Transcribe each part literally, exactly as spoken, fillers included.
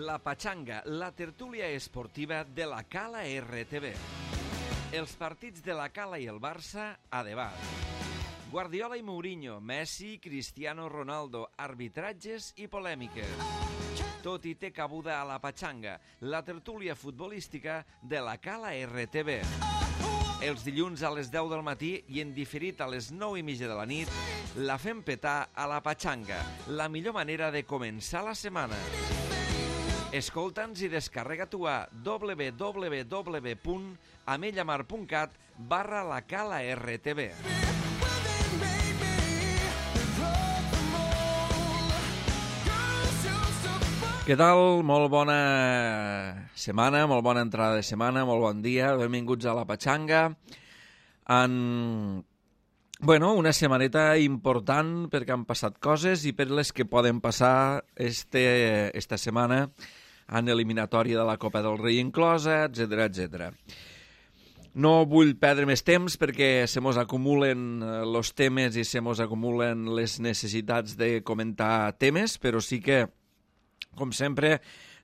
La Pachanga, la tertúlia esportiva de la Cala R T V. Els partits de la Cala i el Barça a debat. Guardiola i Mourinho, Messi, Cristiano Ronaldo, arbitratges i polèmiques. Tot hi té cabuda a La Pachanga, la tertúlia futbolística de la Cala R T V. Els dilluns a les deu del matí i en diferit a les nou i mitja de la nit, la fem petar a La Pachanga, la millor manera de començar la setmana. Escolta'ns i descarrega-t'ho a w w w punt amellamar punt cat barra la Cala R T V. Què tal? Molt bona setmana, molt bona entrada de setmana, molt bon dia, benvinguts a La Pachanga. En... Bueno, una setmaneta important perquè han passat coses i per les que poden passar este, esta setmana en eliminatòria de la Copa del Rei inclosa, etcètera, etcètera. No vull perdre més temps perquè se mos acumulen els temes i se mos acumulen les necessitats de comentar temes, però sí que, com sempre,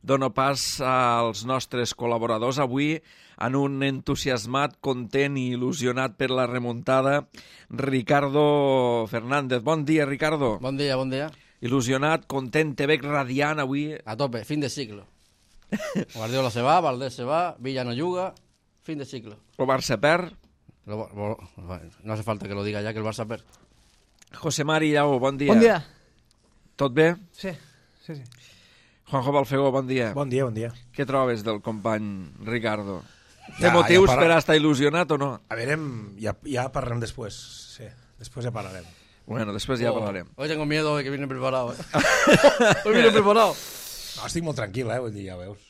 dono pas als nostres col·laboradors avui en un entusiasmat, content i il·lusionat per la remuntada, Ricardo Fernández. Bon dia, Ricardo. Bon dia, bon dia. Il·lusionat, content, te veig radiant avui. A tope, fin de ciclo. Guardiola se va, Valdés se va, Villa no juga, fin de ciclo. El Barça perd. Lo, lo, no hace falta que lo diga ya que el Barça perd. José Mari Llago, bon dia. Bon dia. Tot bé? Sí, sí, sí. Juanjo Balfegó, bon dia. Bon dia, bon dia. Què trobes del company Ricardo? Té Ja, motius ja para... per a estar il·lusionat o no? A veure, ja, ja parlarem després. Sí, després ja parlarem. Bueno, després ja Oh, parlarem. Hoy tengo miedo de que viene preparado. ¿eh? Hoy viene preparado. No, estic molt tranquil, eh? Vull dir, ja veus.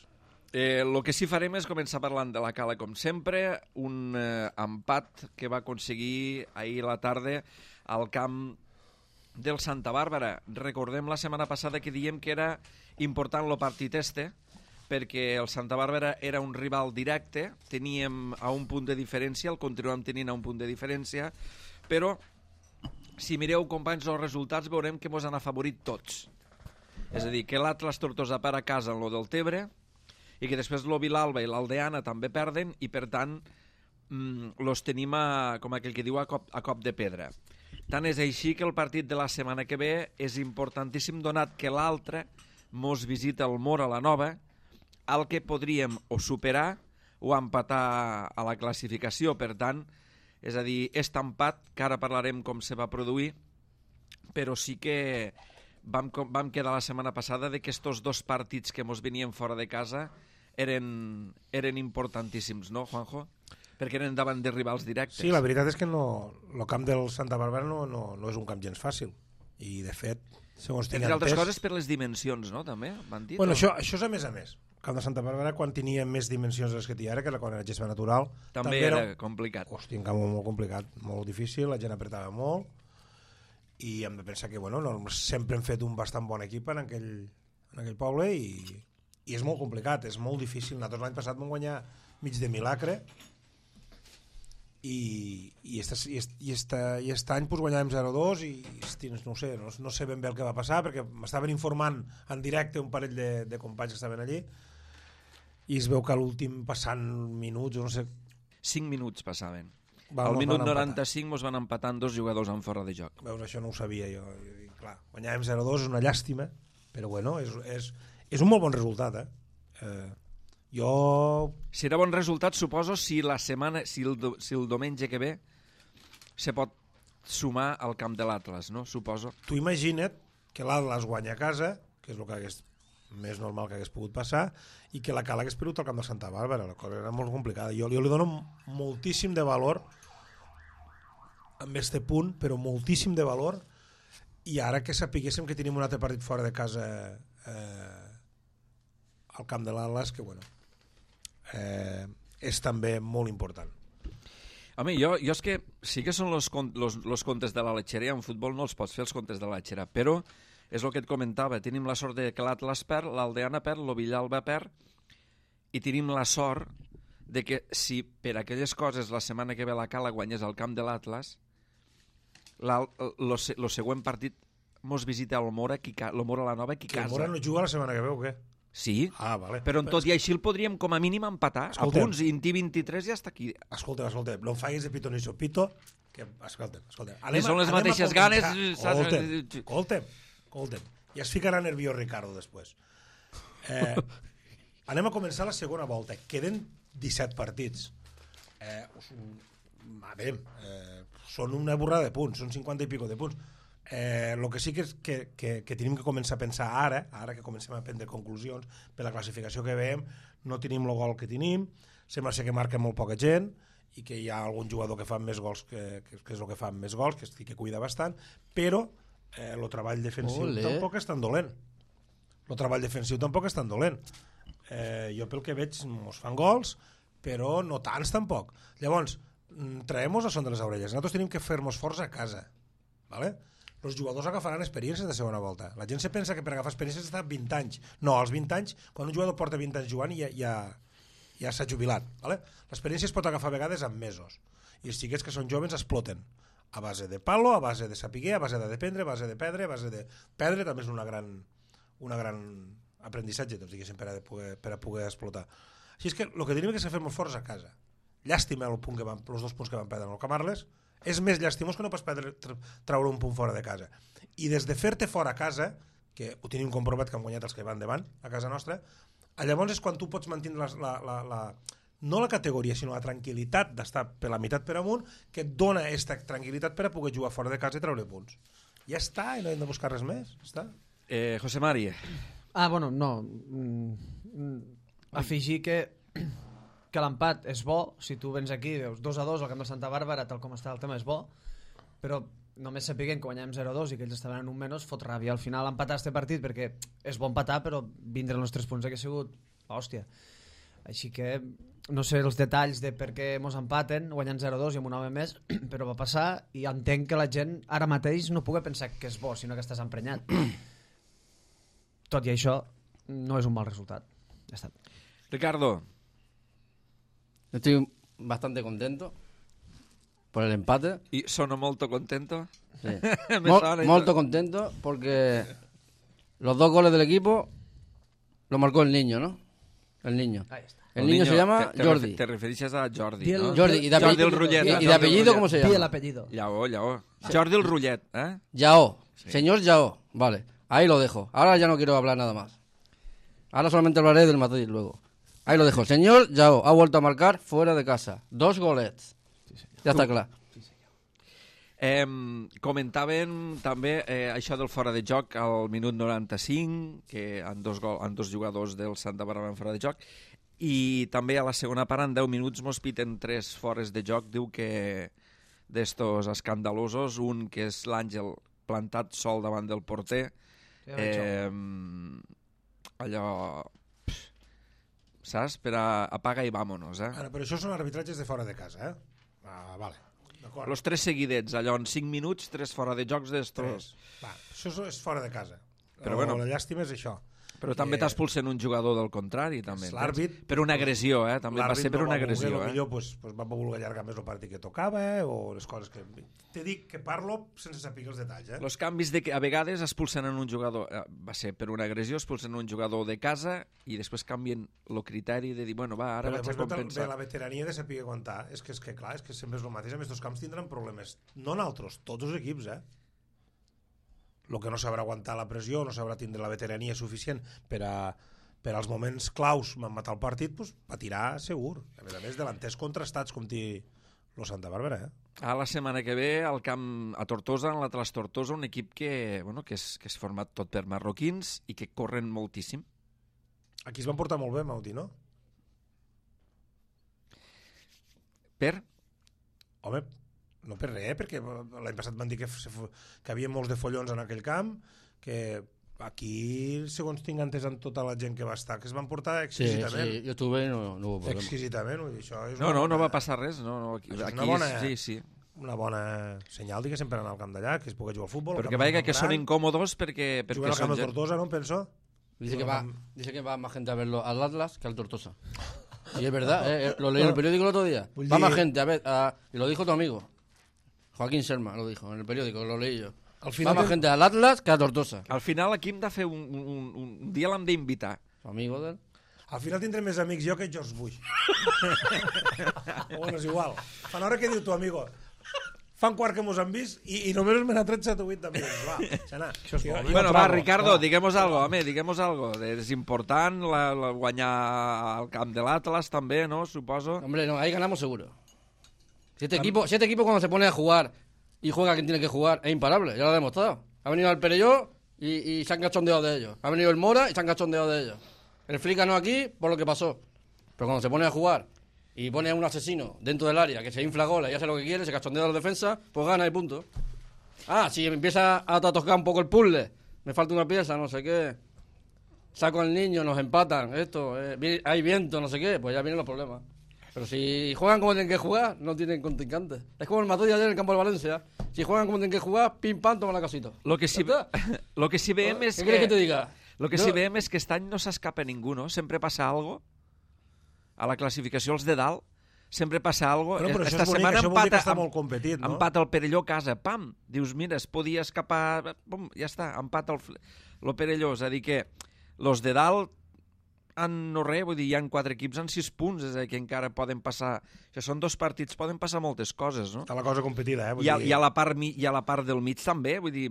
Eh, el que sí farem és començar parlant de la Cala, com sempre, un eh, empat que va aconseguir ahir a la tarda al camp del Santa Bàrbara. Recordem la setmana passada que diem que era important el partit este, perquè el Santa Bàrbara era un rival directe, teníem a un punt de diferència, el continuem tenint a un punt de diferència, però si mireu, companys, els resultats veurem que ens han afavorit tots. És a dir, que l'Atlas Tortosa perd a casa en lo del Tebre i que després l'O Vilalba i l'Aldeana també perden i, per tant, mmm, los tenim, a, com aquell que diu, a cop, a cop de pedra. Tant és així que el partit de la setmana que ve és importantíssim, donat que l'altre mos visita el Mora la Nova, al que podríem o superar o empatar a la classificació. Per tant, és a dir, és empat, que ara parlarem com se va produir, però sí que vam, vam quedar la setmana passada de que estos dos partits que mos venien fora de casa eren, eren importantíssims, no, Juanjo? Perquè eren davant de rivals directes. Sí, la veritat és que no, el camp del Santa Bàrbara no, no, no és un camp gens fàcil. I, de fet, segons tinc Entre altres entès... coses per les dimensions, no?, també, van dir? Bueno, o... això, això és a més a més. El camp de Santa Bàrbara, quan tenia més dimensions de les que té ara, que era quan era gespa natural... També, també era, era complicat. Hòstia, un camp molt complicat, molt difícil, la gent apretava molt, i hem de pensar que, bueno, no, sempre hem fet un bastant bon equip en aquell, en aquell poble, i, i és molt complicat, és molt difícil. Nosaltres l'any passat vam guanyar mig de milagre, i, i, esta, i, est, i, esta, i aquest any pues, guanyàvem zero dos i hosti, no, sé, no, no sé ben bé el que va passar perquè m'estaven informant en directe un parell de, de companys que estaven allí i es veu que a l'últim passant minuts no sé... cinc minuts passaven. Va, al minut noranta-cinc mos van empatar dos jugadors en fora de joc. Veus, això no ho sabia jo. I, clar, guanyàvem zero dos, és una llàstima, però bueno, és, és, és un molt bon resultat, eh? eh Jo... Serà bon resultat, suposo, si la setmana, si el, si el diumenge que ve se pot sumar al camp de l'Atlas, no? Suposo. Tu imagina't que l'Atlas guanya a casa, que és el que hagués, més normal que hagués pogut passar, i que la Cala hagués perdut al camp de Santa Bàrbara. La cosa era molt complicada. Jo, jo li dono moltíssim de valor amb este punt, però moltíssim de valor, i ara que sapiguéssim que tenim un altre partit fora de casa eh, al camp de l'Atlas, que bueno... Eh, és també molt important. Home, jo, jo és que sí que són els comptes de la letxeria, en futbol no els pots fer els comptes de la letxera, però és el que et comentava, tenim la sort de que l'Atlas perd, l'Aldeana perd, l'O Vilalba perd, i tenim la sort de que si per aquelles coses la setmana que ve la Cala guanyés al camp de l'Atlas, el següent partit mos visita el Mora, qui, el Mora la Nova, qui que casa. El Mora no juga la setmana que ve o què? Sí, Ah, vale. però en tot i així el podríem com a mínim empatar. Escolta'm. A punts, Inti vint-i-tres ja està aquí. Escolta, escolta, no em facis de pito ni sopito, que, escolta, escolta. Que són les mateixes ganes, saps? Escolta'm, escolta'm, escolta'm. Ja es ficarà nerviós Ricardo després. Eh, anem a començar la segona volta. Queden disset partits. Eh, a veure, eh, són una borrada de punts, són cinquanta i pico de punts. Eh, el que sí que, és que, que, que tenim que començar a pensar ara, ara que comencem a prendre conclusions per la classificació que veiem, no tenim el gol que tenim, sembla ser que marca molt poca gent i que hi ha algun jugador que fa més gols que, que, que és el que fa més gols, que, que cuida bastant, però eh, el treball defensiu Olé. tampoc és tan dolent. El treball defensiu tampoc és tan dolent. Eh, jo pel que veig ens fan gols, però no tants tampoc. Llavors, traiem-nos a son de les orelles. Nosaltres tenim que fer-nos forts a casa, ¿vale? Els jugadors agafaran experiències de segona volta. La gent se pensa que per agafar experiències està vint anys. No, als vint anys, quan un jugador porta vint anys jugant ja, ja, ja s'ha jubilat. ¿Vale? L'experiència es pot agafar a vegades en mesos. I els xiquets que són joves exploten. A base de palo, a base de saber, a base de dependre, a base de perdre, a base de... Perdre també és una gran, una gran aprenditzatge, doncs, diguéssim, per a poder, per a poder explotar. Així és que el que tenim que és fer molt forts a casa. Llàstima el punt que van, els dos punts que van perdre amb el Camarles. És més llàstimós que no pas perdre, traure un punt fora de casa. I des de fer-te fora a casa, que ho tenim comprovat que han guanyat els que van davant a casa nostra, llavors és quan tu pots mantenir la, la, la, la, no la categoria, sinó la tranquil·litat d'estar per la meitat per amunt, que et dona aquesta tranquil·litat per a poder jugar fora de casa i treure punts. Ja està, i no hem de buscar res més. Està. Eh, José Mari. Ah, bueno, no. Mm, afegir que que l'empat és bo, si tu vens aquí i veus dos a dos al camp de Santa Bàrbara, tal com està el tema és bo, però només sapiguem que guanyem zero a dos i que ells estaven en un menys, fot ràbia al final empatar este partit, perquè és bon empatar, però vindre els tres punts que ha sigut l'hòstia. Així que no sé els detalls de per què mos empaten guanyant zero a dos i amb un home més, però va passar i entenc que la gent ara mateix no pugui pensar que és bo, sinó que estàs emprenyat. Tot i això no és un mal resultat. Ja està. Ricardo. Estoy bastante contento por el empate. ¿Y sono molto contento? Sí. Mol, molto contento porque los dos goles del equipo lo marcó el niño, ¿no? El niño. Ahí está. El, el niño, niño se llama te, te Jordi. Te refieres a Jordi, el, ¿no? Jordi. ¿Y de Jordi el Rullet. ¿Y, y de apellido cómo se llama? Di el apellido. Yao, Yao. Jordi el Rullet, ¿eh? Yao. Sí. Señor Yao. Vale. Ahí lo dejo. Ahora ya no quiero hablar nada más. Ahora solamente hablaré del Madrid luego. Ahí lo dejo. Señor Yao ha vuelto a marcar fuera de casa. Dos golets. Sí, ja està clar. Sí, senyor. Eh, comentaven també eh, això del fora de joc al minut noranta-cinc, que han dos, gol, han dos jugadors del Santa Bàrbara en fora de joc, i també a la segona part en deu minuts mos piten tres fores de joc. Diu que d'estos escandalosos, un que és l'Àngel plantat sol davant del porter, eh, allò... saps? Per a apaga i vámonos, eh? Ara, però això són arbitratges de fora de casa, eh? Ah, vale. D'acord. Los tres seguidets, allò en cinc minuts, tres fora de jocs d'estos. Va, això és fora de casa. Però o, bueno. La llàstima és això. Però també Eh, t'expulsen un jugador del contrari, també. l'àrbit- Per una agressió, eh? També va ser per una agressió, eh? eh? Millor pues, pues va voler allargar més el partit que tocava, eh? O les coses que... Te dic que parlo sense saber els detalls, eh? Els canvis de que a vegades expulsen en un jugador, eh, va ser per una agressió, expulsen un jugador de casa i després canvien el criteri de dir, bueno, va, ara Però vaig a després compensar. de la veterania de saber aguantar. És que, és que clar, és que sempre és el mateix. A més, els camps tindran problemes. No nosaltres, tots els equips, eh? El que no sabrà aguantar la pressió, no sabrà tindre la veterania suficient per a per als moments claus matar el partit, pues, patirà segur. A més a més, delanters contrastats com té el Santa Bàrbara, eh? A la setmana que ve, al camp a Tortosa, en l'Atlas Tortosa, un equip que, bueno, que, és, que és format tot per marroquins i que corren moltíssim. Aquí es van portar molt bé, Mauti, no? Per? Home, no per res, perquè l'any passat van dir que, que havia molts de follons en aquell camp, que aquí, segons tinc entès amb tota la gent que va estar, que es van portar exquisidament. Sí, sí, jo estuve i no, no hubo problema. Exquisidament, vull dir, això és No, no, bona, no va passar res. No, no, aquí, és aquí una bona, és, sí, sí. una bona senyal, diguéssim, per anar al camp d'allà, que es pugui jugar al futbol. Perquè veia que són incòmodos perquè, perquè Juguen al camp són de gent... Tortosa, no, penso? Dice que, va, dice que va más gente a verlo al Atlas que al Tortosa. Y es verdad, eh, lo leí en el periódico el otro día. Va más gente a ver, a, y lo dijo tu amigo, Joaquín Serma, lo dijo en el periódico, lo leí yo. Al final va más que... gente al Atlas que a Tortosa. Al final aquí hem de fer un, un, un, un dia l'hem d'invitar. amigo del... Al final tindré més amics jo que George Bush. Bueno, és igual. Fan hora que diu tu, amigo. Fan quart que mos han vist i, i només me n'ha tret set o vuit d'amics. Va, xana. Això és bo. Bueno, va, Ricardo, diguem-nos algo, home, diguem-nos algo. És important la, la guanyar al camp de l'Atlas també, ¿no? Suposo. Hombre, no, ahí ganamos seguro. Si este, equipo, si este equipo cuando se pone a jugar y juega quien tiene que jugar, es imparable, ya lo ha demostrado. Ha venido el Perelló y, y se han cachondeado de ellos. Ha venido el Mora y se han cachondeado de ellos. El Flica no aquí por lo que pasó. Pero cuando se pone a jugar y pone a un asesino dentro del área que se infla goles y hace lo que quiere, se cachondea a la defensa, pues gana y punto. Ah, si empieza a tocar un poco el puzzle, me falta una pieza, no sé qué, saco al niño, nos empatan, esto, eh, hay viento, no sé qué, pues ya vienen los problemas. Pero si juegan como tienen que jugar, no tienen contrincantes. Es como el Madrid ayer en el campo de Valencia. Si juegan como tienen que jugar, pim pam, toma la casita. Lo que sí, lo que sí veiem és ¿Qué que... quieres que te diga? Lo que no. sí veiem és que aquest any no s'escapa ningú, no? Sempre passa algo. A la classificació, els de dalt, sempre passa algo. Però, però Esta això és bonic, setmana això vol dir que empata, està molt competit, no? empata el Perelló a casa, pam! Dius, mira, es podia escapar... Pum, ja està, empata el, el Perelló. És a dir que los de dalt han no res, vull dir, hi ha quatre equips en sis punts, és a dir, que encara poden passar... Això són dos partits, poden passar moltes coses, no? Està la cosa competida, eh? Vull I a, dir... i, a la part, mi- I a la part del mig també, vull dir,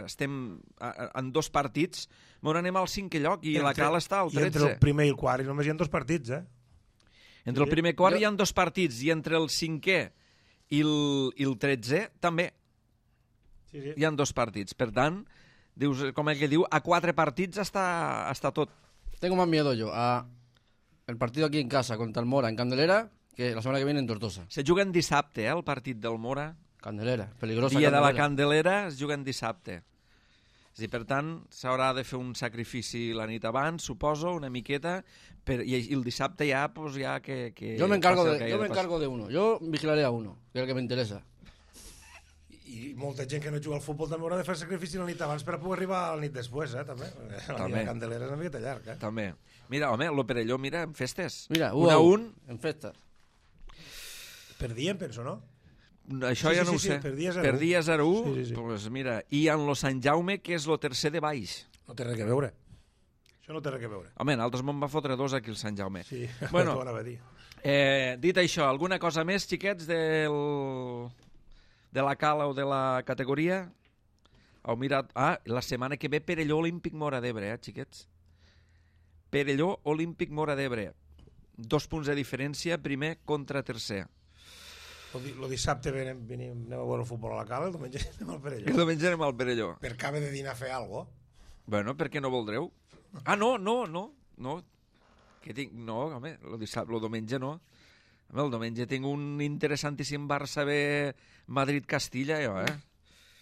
estem a- a- en dos partits, on anem al cinquè lloc i Entre- la Cala està al I entre tretze. el primer i el quart i només hi ha dos partits, eh? Entre el primer quart Jo- hi ha dos partits i entre el cinquè i el, i el tretzè també Sí, sí. hi ha dos partits. Per tant, dius, com el que diu, a quatre partits està, està tot. Tengo más miedo yo a el partido aquí en casa contra el Mora en Candelera que la semana que viene en Tortosa. Se juguen dissabte, eh, el partit del Mora. Candelera, peligrosa Dia de la Candelera. Candelera es juguen dissabte. És a dir, per tant, s'haurà de fer un sacrifici la nit abans, suposo, una miqueta, per, i, i el dissabte ja, pues, ja que, que... Yo me encargo passi el de, que yo hagi me de passar. encargo de uno. Yo vigilaré a uno, que es el que me interesa. I molta gent que no juga al futbol també haurà de fer sacrifici la nit abans per poder arribar a la nit després, eh, també. La També. nit de Candelera és una miqueta llarg, eh? També. Mira, home, lo Perelló, mira, en festes. Mira, un a un, en festas. Perdien, penso, no? això Sí, ja sí, no sí, ho sé. sí, perdia zero u. Perdia zero u, Sí, sí, sí. pues mira, i en lo Sant Jaume, que és lo tercer de baix. No té res a veure. Això no té res a veure. Home, nosaltres me'n va fotre dos aquí al Sant Jaume. Sí, Bueno. t'ho anava a dir. Eh, dit això, alguna cosa més, xiquets, del... de la cala o de la categoria? Heu mirat... Ah, la setmana que ve Perelló Olímpic Mora d'Ebre, eh, xiquets? Perelló Olímpic Mora d'Ebre. Dos punts de diferència, primer contra tercer. Lo, di lo dissabte venim, venim, anem a veure el futbol a la cala, el diumenge anem al El Perelló. diumenge anem al Perelló. Per acabe de dinar a fer alguna cosa. Bueno, per què no voldreu? Ah, no, no, no, no. Que tinc... No, home, el dissabte, el diumenge no. Home, el diumenge tinc un interessantíssim Barça B Madrid-Castilla, jo, eh?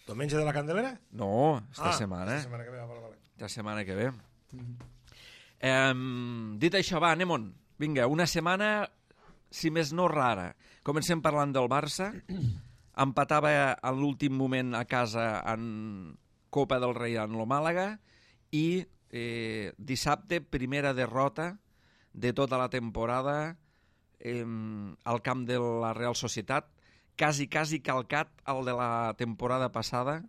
Diumenge de la Candelera? No, esta ah, setmana. Esta setmana que ve, vale, vale. La setmana que ve. Eh, dit això, va, anem-on. Vinga, una setmana, si més no rara. Comencem parlant del Barça. Empatava en l'últim moment a casa en Copa del Rei en lo Màlaga i eh, dissabte, primera derrota de tota la temporada eh, al camp de la Real Societat, quasi, quasi calcat el de la temporada passada,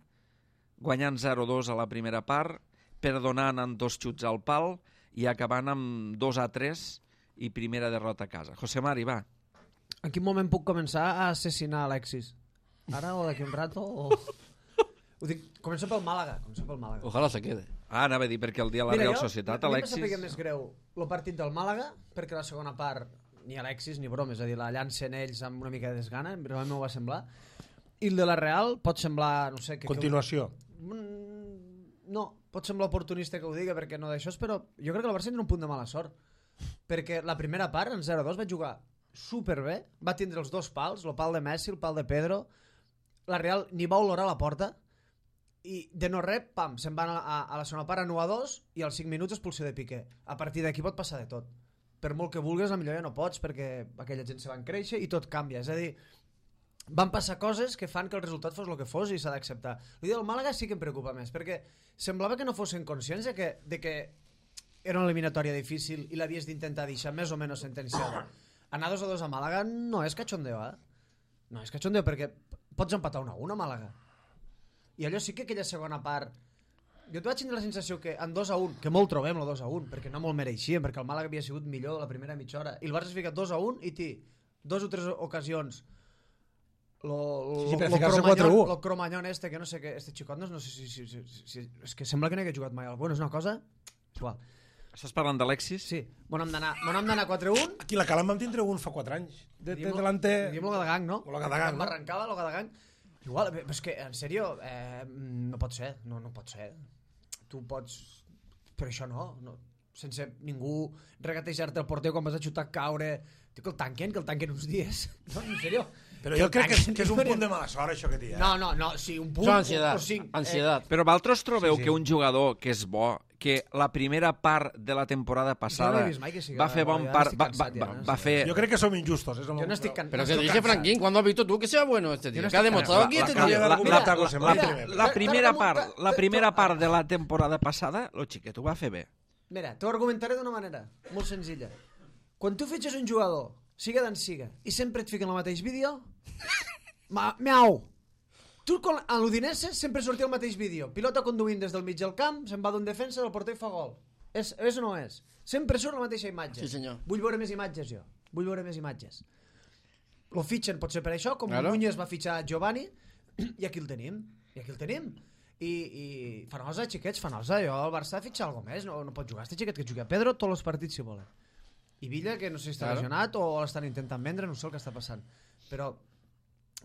guanyant zero dos a la primera part, perdonant amb dos xuts al pal i acabant amb dos a tres i primera derrota a casa. José Mari, va. En quin moment puc començar a assassinar Alexis? Ara o d'aquí un rato? O... Ho dic, començo pel Màlaga. Començo pel Màlaga. Ojalá se quede. Ah, anava a dir, perquè el dia de la Mira, Real jo, Societat, a mi Alexis... em sap més greu el partit del Màlaga, perquè la segona part ni Alexis ni broma, és a dir, la llancen ells amb una mica de desgana, realment m'ho va semblar. I el de la Real pot semblar, no sé... Que, Continuació. Que... Mm, no, pot semblar oportunista que ho diga, perquè no d'això, però jo crec que el Barça tindrà un punt de mala sort, perquè la primera part, en zero dos, va jugar superbé, va tindre els dos pals, el pal de Messi, el pal de Pedro, la Real ni va olorar la porta, i de no res, pam, se'n van a, a, a la segona part a nou a dos i als cinc minuts expulsió de Piqué. A partir d'aquí pot passar de tot. Per molt que vulguis, a millor ja no pots, perquè aquella gent se van créixer i tot canvia. És a dir, van passar coses que fan que el resultat fos el que fos i s'ha d'acceptar. El dia del Màlaga sí que em preocupa més, perquè semblava que no fossin conscients de que, de que era una eliminatòria difícil i l'havies d'intentar deixar més o menys sentenciada. Anar dos a dos a Màlaga no és cachondeo, eh? No és cachondeo, perquè pots empatar un a un a Màlaga. I allò sí que aquella segona part jo vaig tenir la sensació que en dos a un, que molt trobem el dos a un, perquè no molt mereixíem, perquè el Màlaga havia sigut millor la primera mitja hora, i el Barça s'ha ficat dos a un i té dos o tres ocasions lo, lo, sí, sí, per lo, ficar-se cromanyón, quatre a u. lo cromanyón este, que no sé què, este xicot no, no sé si, si, si, si, és que sembla que no hagués jugat mai al bueno, és una cosa igual. Estàs parlant d'Alexis? Sí, bon hem d'anar quatre a un. Aquí la Cala en vam tindre un fa quatre anys. De, de delanter... Diem lo Gadagang, no? Lo Gadagang, no? Arrencava lo Gadagang. Igual, però és que, en sèrio, eh, no pot ser, no, no pot ser. Tu pots... Però això no, no. Sense ningú regatejar-te el porter quan vas a xutar, caure... Tio, que el tanquen, que el tanquen uns dies. No, en sèrio. Però jo crec que és, que és un punt de mala sort, això que té. Eh? No, no, no, sí, un punt... Això ansiedat, o cinc. ansiedat. Però vosaltres trobeu Sí, sí. que un jugador que és bo, que la primera part de la temporada passada Jo no he vist mai que sigui va fer bo, bon ja part... estic Va, cansat, va, ja, no? va fer... Jo crec que som injustos. És el Jo no estic can... Pero no que estic dice cansat. Franquín, ¿cuándo has visto tú que sea bueno este tío? no ¿Qué ha estoy demostrado cansado. aquí este La- tío? la- La, Mira, la, José, la, mira, la primera mira, part, mira, la mira, primera mira, part de la temporada passada, lo xiquet ho va fer bé. Mira, t'ho argumentaré d'una manera molt senzilla. Quan tu fitxes un jugador, siga d'en siga, i sempre et fiquen el mateix vídeo, ma, miau! Tu con, a l'Udinese sempre sortia el mateix vídeo. Pilota conduint des del mig del camp, se'n va d'un defensa, del porter i fa gol. És, és o no és? Sempre surt la mateixa imatge. Sí, senyor. Vull veure més imatges, jo. Vull veure més imatges. Lo fitxen potser per això, com Claro. Núñez va fitxar Giovanni, i aquí el tenim. I aquí el tenim. I, i Fanosa, xiquets, Fanosa, jo al Barça fitxar alguna més, no, no pot jugar este xiquet que jugui a Pedro tots els partits si volen. I Villa, que no sé si està Claro. lesionat o l'estan intentant vendre, no sé el que està passant. Però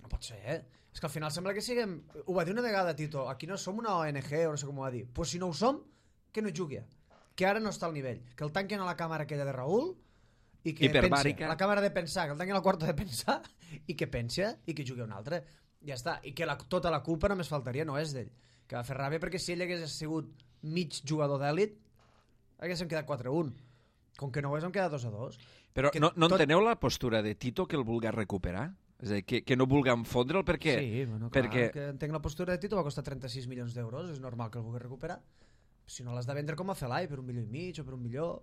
no pot ser, eh? És que al final sembla que siguem... Ho va dir una vegada Tito, aquí no som una O N G o no sé com ho va dir. Pues si no ho som, que no jugui. Que ara no està al nivell. Que el tanquen a la càmera aquella de Raül i que Hiperbàrica. pensa. La càmera de pensar, que el tanquen al quarto de pensar i que pensa i que jugui un altre. Ja està. I que la, tota la culpa només faltaria, no és d'ell. Que va fer ràbia perquè si ell hagués sigut mig jugador d'èlit haguéssim quedat quatre a un. Com que no ho és, hem quedat dos a dos. Però Que no, no tot- enteneu la postura de Tito que el vulga recuperar? És a dir, que, que no vulguem fondre'l perquè... Sí, bueno, clar, perquè... que entenc la postura de Tito, va costar trenta-sis milions d'euros, és normal que el vulgui recuperar. Si no l'has de vendre com a Felai, per un milió i mig o per un milió...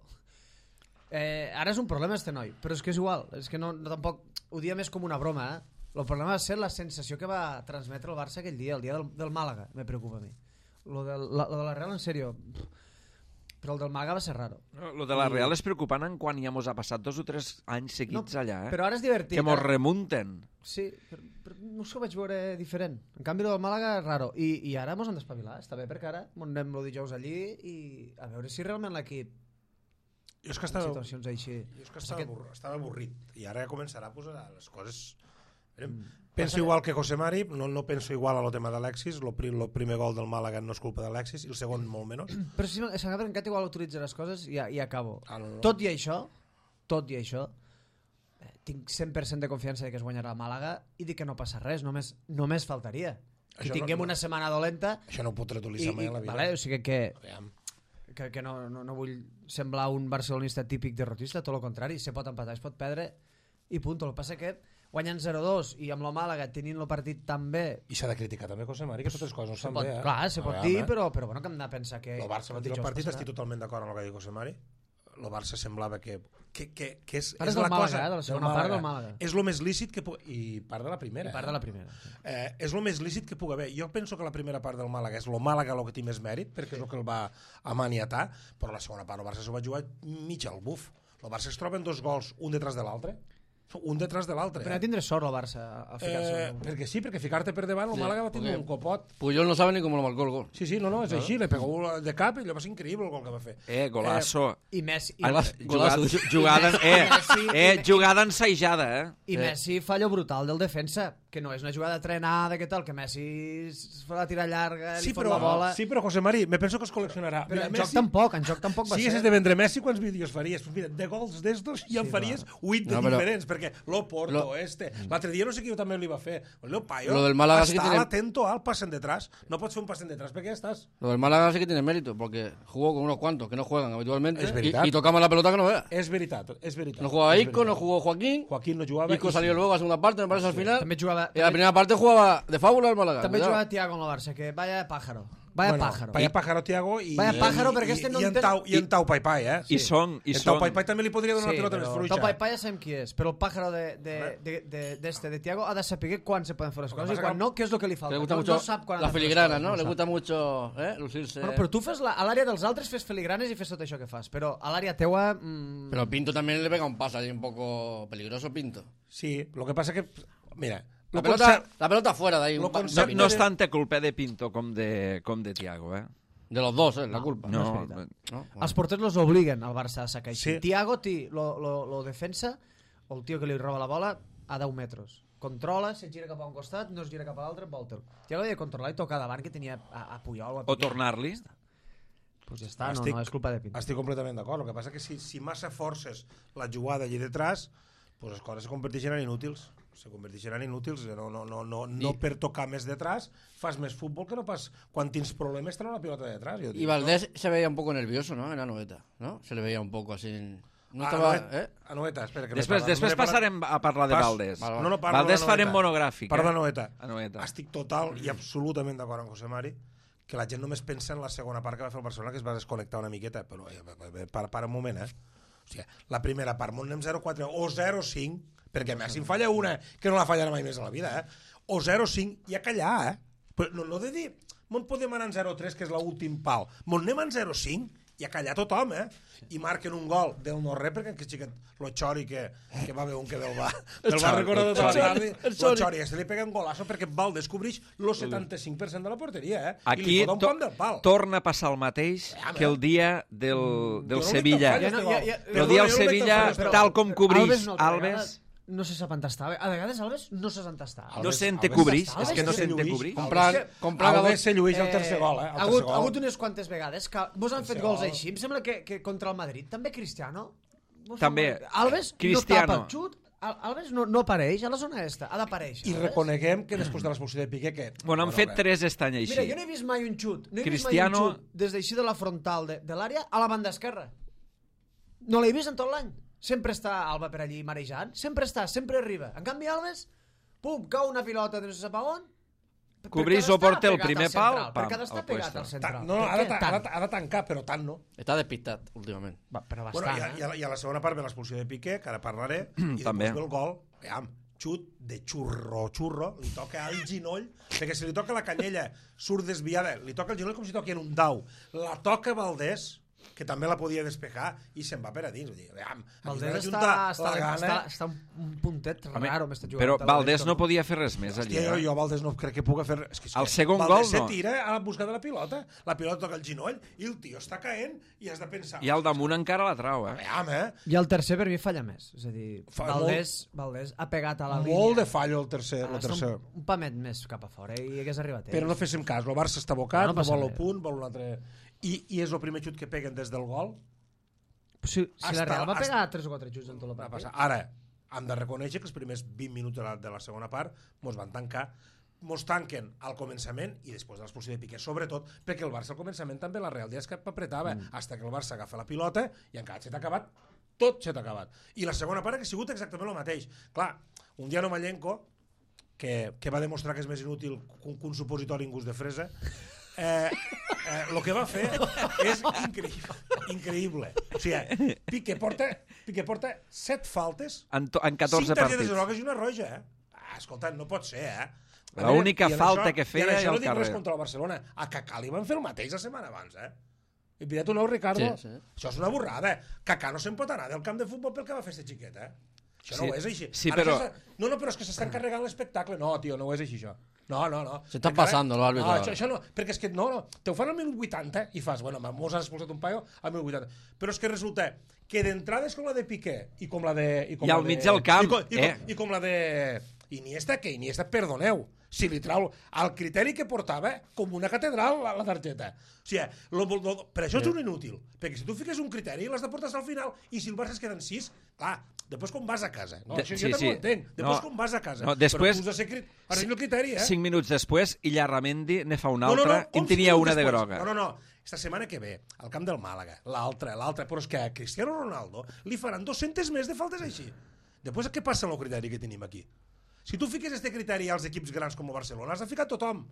Eh, ara és un problema este noi, però és que és igual, és que no, no tampoc... Ho dia més com una broma, eh? El problema va ser la sensació que va transmetre el Barça aquell dia, el dia del, del Màlaga, me preocupa a mi. Lo de la, lo de la Real, en sèrio... Però el del Màlaga va ser raro. No, lo de la Real és preocupant en quan ja mos ha passat dos o tres anys seguits No, allà, eh? Però ara és divertit. Que mos ara- remunten. Sí, però, però no us ho vaig veure diferent. En canvi, el del Màlaga és raro. I, i ara mos han d'espavilar, està bé, perquè ara mos anem el dijous allí i a veure si realment l'equip Jo és que en estava, situacions així... jo és que estava, Aquest- avorrit, estava avorrit i ara ja començarà a posar les coses... Mm. Penso igual que José Mari, no, no penso igual a lo tema d'Alexis, el primer gol del Màlaga no és culpa d'Alexis i el segon molt menys. Però si s'acaba en Cat igual utilitza les coses i, ja, i acabo. Ah, no, no. Tot i això, tot i això, eh, tinc cent per cent de confiança de que es guanyarà el Màlaga i de que no passa res, només, només faltaria. Que Això tinguem no- no. una setmana dolenta Això no ho pot i, retolitzar mai i, a la vida. vale, o sigui que, Aviam. que, que no, no, no vull semblar un barcelonista típic derrotista, tot el contrari, se pot empatar, es pot perdre i punt. El que passa que guanyant zero a dos i amb la Màlaga tenint el partit tan bé, I s'ha de criticar també José Mari, que totes les coses no se estan pot, bé. Eh? clar, se pot Aviam, dir, eh? però, però bueno, que hem de pensar que... El Barça va tirar el dijous partit, passarà. estic totalment d'acord amb el que ha dit José Mari. El Barça semblava que, que, que, que és, Ara és és del la Màlaga, cosa eh, de la segona part del Màlaga. És el més lícit que pu- i part de la primera. I part de la primera. Eh, és el més lícit que pugui haver. Jo penso que la primera part del Màlaga és el Màlaga el que té més mèrit, perquè és el que el va amaniatar, però la segona part el Barça s'ho va jugar mig al buf. El Barça es troben dos gols, un detrás de l'altre, un detrás de l'altre. Però no Eh? tindré sort el Barça a ficar-se. Eh, perquè sí, perquè ficar-te per davant, el Sí, Màlaga va tindre perquè- un copot. Puyol no sabe ni cómo lo marcó el gol. Sí, sí, no, no, és així, le pegó de cap i allò va ser increïble el gol que va fer. Eh, golazo. I Messi, i, Ah, Golazo. jugada, Golazo. ju- jugada, eh, Messi- eh, i- jugada ensajada, eh? i Messi fallo brutal del defensa, que no és una jugada trenada, que tal, que Messi es fa la tira llarga, Sí li fot però, la bola... sí, però José Mari, me penso que es col·leccionarà. Però Mira, en Messi, joc tampoc, en joc tampoc va si ser. haguessis de vendre Messi, quants vídeos faries? Pues mira, de gols d'estos ja en Sí, faries huit de No, però- diferents, perquè l'Oporto, Lo- este... L'altre dia no sé qui també li va fer. El meu paio Lo del Málaga sí que està tiene- atento al pasen detrás. No pots fer un pasen detrás perquè ja estàs. Lo del Málaga sí que tiene mérito, porque jugó con unos cuantos que no juegan habitualmente Es y, verdad. y tocamos la pelota que no vea. És veritat, és veritat. No jugaba és Isco, no veritat. jugó Joaquín. Joaquín no jugava. Isco i salió sí. luego a segunda parte, me parece, al final. També jugava, Y la també, primera parte jugaba de fábula el Málaga. també cuidado. jugava Thiago en el Barça, que vaya pájaro. Vaya bueno, pájaro. Vaya pájaro, Thiago, i, Vaya pájaro, i, perquè i, este no i, en entén- Tau, i en Tau Pai Pai, eh? I són... I En Tau són... Pai Pai també li podria donar Sí, una pilota més però fluixa. Tau Pai Pai ja sabem qui és, però el pájaro de, de, de, de, de, este, de Thiago ha de saber quan se poden fer les Lo que coses i pasa quan que- no, què és el que li falta. Le gusta no, mucho no sap quan ha la de fer les filigrana, coses, ¿no? Le sap. gusta mucho eh, lucirse. Bueno, però tu fes la, a l'àrea dels altres fes filigranes i fes tot això que fas, però a l'àrea teua... Mm, Pero Pinto también le pega un pase ahí un poco peligroso, Pinto. Sí, lo que pasa que... Mira... La lo pelota, conce- la pelota fuera de ahí. lo un pa- No, concepte- no és tanta culpa de Pinto com de, com de Thiago, eh? De los dos, ¿eh? La culpa. No, és veritat. ¿No? Els porters los obliguen al Barça a sacar així. Sí. Thiago, ti, lo, lo, lo defensa, o el tio que li roba la bola, a deu metres. Controla, se gira cap a un costat, no es gira cap a l'altre, volta-lo. Thiago havia de controlar i tocar davant, que tenia a, a Puyol o a o Piqué. tornar-li. Pues ja està, no, Estic- no, és culpa de Pinto. Estic completament d'acord. El que passa que si, si massa forces la jugada allà detrás, pues les coses se converteixen en inútils. Se converteixen en inútils. No, no, no, no, no I- per tocar més detrás fas més futbol que no pas quan tens problemes treure la pilota de detrás. Jo Y dic, Valdés se veía un poco nervioso, ¿no? En la noveta, ¿no? Se le veía un poco así. No No? estaba, Ah, ¿eh? a Noeta, espera. Que m'he Després, parlat. després M'he parlat- passarem a parlar de Pas- Valdés. Vale, No, no, parlo Valdés de la farem Noeta. monogràfic. Parlo eh? de Noeta. A Noeta. Estic total i absolutament d'acord amb José Mari que la gent només pensa en la segona part que va fer el Barcelona, que es va desconnectar una miqueta, però eh, para, para un moment, eh? O sigui, la primera part, anem zero quatre o zero cinc, perquè a més si en falla una, que no la fallarà mai més a la vida, eh? O zero cinc, i a callar, eh? Però no, no de dir, on podem anar en zero tres, que és l'últim pal, on anem en zero cinc, i a callar tothom, eh? I marquen un gol del no-res, perquè aquest xiquet, lo Chori, que, que va veure un que del va, del va Chori, recordar el tota la Chori. tarda, lo Chori, este li pega un golazo perquè Valdés cobreix el setanta-cinc per cent de la porteria, eh? I Aquí li fot un to pam del pal. torna a passar el mateix Home. que el dia del, del Jo no Sevilla. li toc Ja no, ja, ja, Però el dia del Perdona, jo no Sevilla, meto falles, tal com cobrix Alves no, altra Alves... vegada no se sap entastar. A vegades Alves no se sap entastar. No Alves- sente Alves cobrix, està- és que no Alves sente lluís. cobrix. Comprar, comprar a Alves dos. se llueix el tercer gol, eh? El ha, tercer hagut, gol. ha hagut unes quantes vegades que vos han fet Tercer gols gol. així. Em sembla que, que contra el Madrid també Cristiano. Vos També. fan- Alves Cristiano. no tapa el xut. Al- Alves no, no apareix a la zona esta. Ha d'aparèixer. I Alves. reconeguem que després de l'expulsió de Piqué que... Bueno, han fet tres aquest any Mira, així. jo no he vist mai un xut. No he Cristiano- vist mai un xut des d'així de la frontal de, de l'àrea a la banda esquerra. No l'he vist en tot l'any. Sempre està Alba per allí marejant. Sempre està, sempre arriba. En canvi, Alves, pum, cau una pilota de no se sap a on. Cobrís Perquè ha o porta el d'estar primer pegat al pal, central, pam, perquè ha d'estar al pegat puesto. al Ta- central. No, no, Per ha de, què ta- ha, tant? de, ha de tancar, però tant no. Está despistat últimament. Va, però Bueno, bastant, i, a, eh? i, a, I a la segona part ve l'expulsió de Piqué, que ara parlaré, i També. després ve el gol, veam, xut de xurro, xurro, li toca al ginoll, perquè si li toca la canyella, surt desviada, li toca el ginoll com si toqui en un dau. La toca Valdés, que també la podia despejar, i se'n va per a dins. Vull dir, veam, aquí Valdés s'ha està, d'ajuntar està, la gana. està, està un, un puntet Home, raro, m'està jugant. Però a la Valdés dreta, no podia fer res més Hòstia, allà. jo, jo Valdés no crec que puga fer... És que, és El que segon Valdés gol, no. se tira a la busca de la pilota, la pilota toca el ginoll, i el tio està caent, i has de pensar... I al damunt encara la trau, eh? Veam, eh? I el tercer per mi falla més. És a dir, Fa Valdés, Valdés ha pegat a la línia. Molt de fallo el tercer. Ha El d'estar tercer. un, un pamet més cap a fora i hagués arribat ell. Però no féssim cas, el Barça està abocat, No, no no, passa vol el res. punt, vol un altre... I, I és el primer xut que peguen des del gol. Si, si Hasta- la Real va hasta- pegar tres o quatre xuts en tot el Va partit. passar. Ara, hem de reconèixer que els primers vint minuts de la, de la segona part mos van tancar, mos tanquen al començament i després de l'expulsió de Piqué, sobretot perquè el Barça al començament també la Real Díaz que apretava, mm. hasta que el Barça agafa la pilota i encara s'ha acabat, tot s'ha acabat. I la segona part ha sigut exactament el mateix. Clar, un dia Nomallenko, que, que va demostrar que és més inútil que un, que un supositori en gust de fresa, eh, eh, el que va fer és increïble, increïble. O sigui, Piqué porta, Piqué porta set faltes, En, to, en catorze cinc targetes partits. grogues i una roja, eh? Ah, escolta, no pot ser, eh? La única I en falta això- que feia i en i això al no dic res carrer. contra el Barcelona. A Kaká li van fer el mateix la setmana abans, eh? I mira tu nou, Ricardo. Sí, sí. Això és una borrada. Kaká no se'n pot anar del camp de futbol pel que va fer este xiquet, eh? Això Sí, no ho és així. sí, Ara però- això està- No, no, però és que s'estan carregant l'espectacle. No, tio, no ho és així, això. No, no, no. Se està Encara- passant, l'àrbitre. No, això, això no, perquè és que no, no. Te ho fan al minut vuitanta i fas, bueno, mos han expulsat un paio al minut vuitanta. Però és que resulta que d'entrades com la de Piqué i com la de... I, com I al la de, mig del camp, i com, i, eh? com, I com la de Iniesta, que Iniesta, perdoneu, si li trau el criteri que portava com una catedral la, la targeta. O sigui, lo, lo, per això és un inútil, perquè si tu fiques un criteri l'has de portar al final i si el Barça es queden sis, clar, després com vas a casa. No, De- això sí, jo també sí. ho entenc. Després No, com vas a casa. no, després- Però tu has de ser crit... Ara el criteri, eh? Cinc minuts després, i Llarramendi ne fa una No, no, altra, no, i en com tenia cinc una de minuts groga. després? No, no, no. Esta setmana que ve, al camp del Màlaga, l'altra, l'altra, però és que a Cristiano Ronaldo li faran dos-centes més de faltes així. Després, què passa amb el criteri que tenim aquí? Si tu fiques este criteri als equips grans com el Barcelona, has de ficar tothom.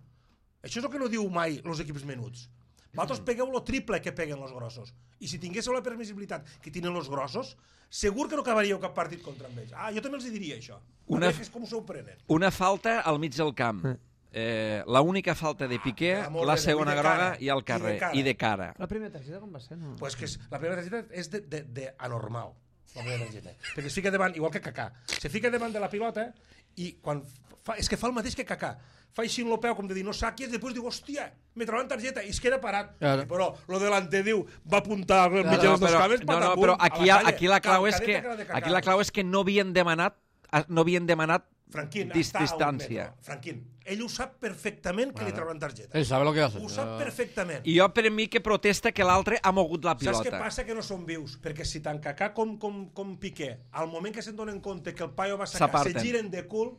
Això és el que no diu mai els equips menuts. Vosaltres pegueu el triple que peguen els grossos. I si tinguéssiu la permissibilitat que tenen els grossos, segur que no acabaríeu cap partit contra ells. Ah, jo també els diria això. Una, és com s'ho prenen. Una falta al mig del camp. Eh, la única falta de Piqué, ah, la segona groga i al carrer. I de cara. La primera targeta com va ser? No? Pues que és, la primera targeta és de, de, de anormal. La primera targeta. Perquè es fica davant, igual que Kaká. Se fica davant de la pilota i quan fa, és que fa el mateix que Kaká. Fa així en el peu, com de dir, no saques, després diu, hòstia, me troben targeta, i es queda parat. Claro. Però lo delanter diu, va apuntar al mig dels dos cames, no, no, però aquí, la, aquí, la clau és que, aquí la clau és que no havien demanat, no havien demanat Franquín, dis, distància. Franquín, ell ho sap perfectament que claro. li trauran targeta. Ell sabe lo que hace. Ho sap perfectament. I jo per mi que protesta que l'altre ha mogut la pilota. Saps què passa? Que no són vius. Perquè si tant Kaká com, com, com Piqué, al moment que se'n donen compte que el paio va sacar, se giren de cul,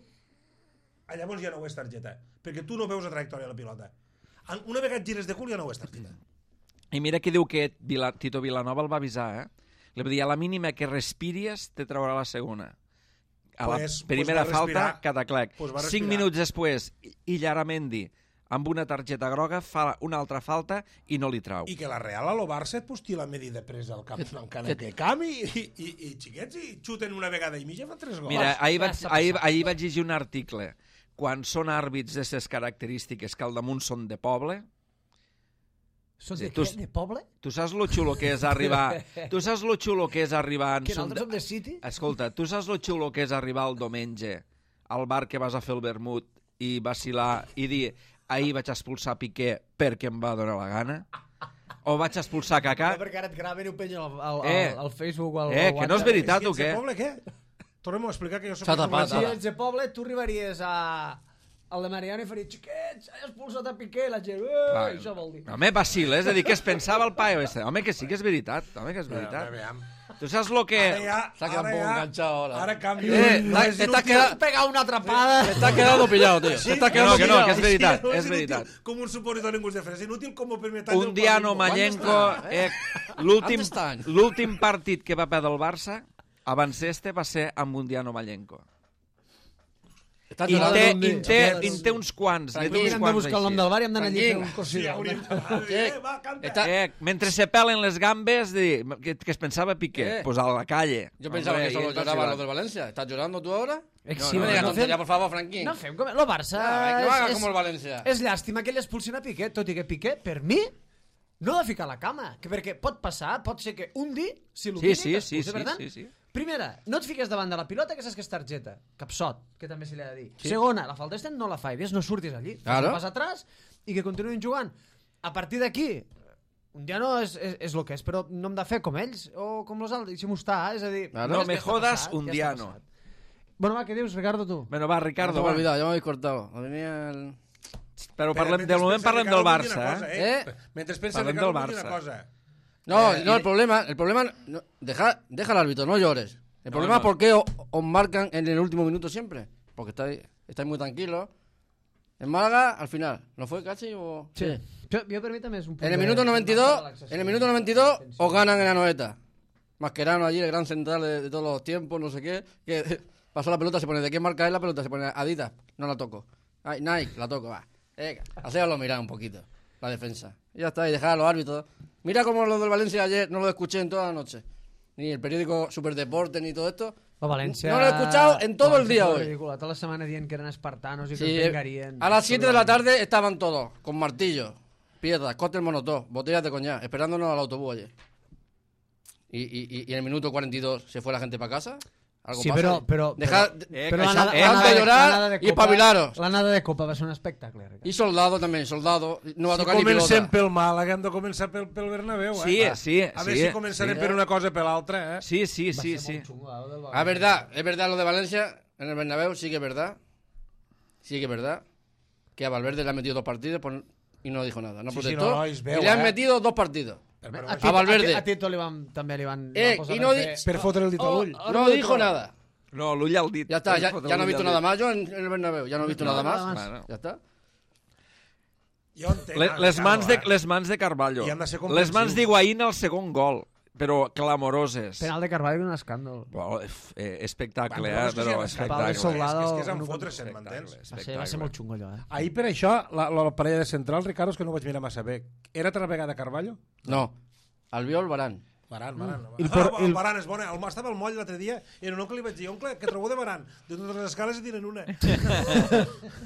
llavors ja no ho és targeta, perquè tu no veus la trajectòria de la pilota. Una vegada et gires de cul ja no ho és targeta. I mira que diu que Vila, Tito Vilanova el va avisar, eh? Li va dir, a la mínima que respiries te traurà la segona. A la pues, primera pues falta, cataclec. Pues Cinc minuts després, Illaramendi, amb una targeta groga, fa una altra falta i no li trau. I que la Real a lo Barça et posti la medida presa al camp, en canet de camp i, i, i, i xiquets i xuten una vegada i mitja fan tres gols. Mira, ahir vaig, ahir, ahir vaig llegir un article. Quan són àrbits d'aquestes característiques que al damunt són de poble... Són de, tu, què? De poble? Tu saps lo xulo que és arribar... tu saps lo xulo que és arribar... Que nosaltres som de City? Escolta, tu saps lo xulo que és arribar el diumenge al bar que vas a fer el vermut i vacilar i dir ahir vaig expulsar Piqué perquè em va donar la gana? O vaig expulsar Kaká? No, perquè ara et graven i ho pengen al, al, eh, al, al Facebook o al eh, que no és veritat, o què? Poble, què? Tornem a explicar que jo soc... Si ets de poble, tu arribaries a... el de Mariano i faria, xiquets, he expulsat a Piqué, la gent, ah, això vol dir. Home, vacila, és a dir, què es pensava el paio este? Home, que sí que és veritat, home, que és veritat. Tu saps lo que... S'ha quedat un poc enganxat ahora. Ara canvio. Eh, t'està quedant... pegar una atrapada. T'està quedant pillado, tío. Sí, que no, que no, que és veritat, és veritat. Com un supositori en gust de fresa, inútil com per metall un Diano Mallenco, eh, l'últim partit que va perdre el Barça, abans este va ser amb un Diano Mallenco. I té, i té, i té uns quants. Hem de buscar el nom del bar i hem d'anar allí a fer un cosida. Mentre se pelen les gambes, que es pensava Piqué, pues a la calle. Yo pensaba que solo lloraba lo del Valencia. ¿Estás llorando tú ahora? No, no me digas tontería, por favor, Franquín. No fem com... Lo Barça... No haga como el Valencia. És llàstima que ell expulsin a Piqué, tot i que Piqué, per mi, no ha de ficar la cama. Perquè pot passar, pot ser que un dia s'il·lumini sí, sí, sí, sí, sí, sí. Primera, no et fiques davant de la pilota que saps que és targeta. Capsot, que també se li ha de dir. Sí. Segona, la falta este no la fa i ves, no surtis allí. Claro. Pas atrás i que continuïn jugant. A partir d'aquí, un dia no és, és, és el que és, però no hem de fer com ells o com els altres. Deixem-ho estar, és a dir... Claro. No me jodas un dia no. Bueno, va, què dius, Ricardo, tu? Bueno, va, Ricardo, no va. Olvidado, ya me habéis cortado. Venía el... Però parlem, del moment parlem del Barça, eh? eh? Mentre pensa Ricardo, vull dir una cosa. No, eh, no, el problema, el problema, no, deja, deja al árbitro, no llores. El problema no, no. es por qué os, os marcan en el último minuto siempre. Porque estáis, estáis muy tranquilos. En Málaga, al final, ¿no fue casi o...? Sí. Yo, yo permítame, es un punto en el minuto noventa y dos, en el minuto noventa y dos os ganan en la noeta. Mascherano allí, el gran central de, de todos los tiempos, no sé qué, que pasó la pelota, se pone, ¿de qué marca es la pelota? Se pone Adidas, no la toco. Ay, Nike, la toco, va. Eh, hacéoslo mirar un poquito, la defensa. Y ya está, y dejar a los árbitros. Mira cómo lo del Valencia ayer no lo escuché en toda la noche. Ni el periódico Superdeporte ni todo esto. La Valencia... No lo he escuchado en todo el día hoy. Ridícula. Toda la semana dient que eran espartanos y sí, que vengarían. A las siete de la tarde estaban todos, con martillos, piedras, cóctel monotó, botellas de coñac, esperándonos al autobús ayer. Y, y, y en el minuto cuarenta y dos se fue la gente para casa. ¿Algo sí, pasa? pero... pero, Dejad eh, pero la nada, eh, la nada de llorar de, de y espabilaros. La nada de Copa va ser un espectacle. I Soldado també, Soldado. No va si tocar ni pilota. Si comencem pel Màlaga hem de començar pel, pel Bernabéu, eh? Sí, sí. A veure sí, si començarem sí. per una cosa per l'altra, eh? Sí, sí, sí, sí. Ah, verdad, es verdad lo de Valencia en el Bernabéu, sí que es verdad. Sí que es verdad. Que a Valverde le han metido dos partidos por... y no dijo nada. No sí, protestó. Sí, no, no, veu, y le han eh? metido dos partidos. A, a Valverde. A Tito li van, també li van... Eh, van y no per, di... per fotre el dit a l'ull. Oh, no dijo nada. No, l'ull al dit. Ya está, ya, ya no he visto nada más yo en, en el Bernabéu. Ya no he visto no, nada más. Nada más. Bueno. Ya está. Jo entenc, les, les, mans de, les mans de Carvalho. Les mans d'Higuaín al segon gol. però clamoroses. Penal de Carvalho és un escàndol. Well, eh, espectacle, Bueno, eh? és que Però sí, espectacle. és, Soldado, és que és en no fotre, pot- m'entens? Va ser, va ser molt xungo allò, eh? Ahir per això, la, la parella de centrals, Ricardo, és que no ho vaig mirar massa bé. Era altra vegada Carvalho? No, Albiol, Baran. Baran, Baran. I el Ah, por- el il- Baran és bona. El, estava al moll l'altre dia i era un oncle li vaig dir, oncle, què trobeu de Baran? De totes les escales i tiren una.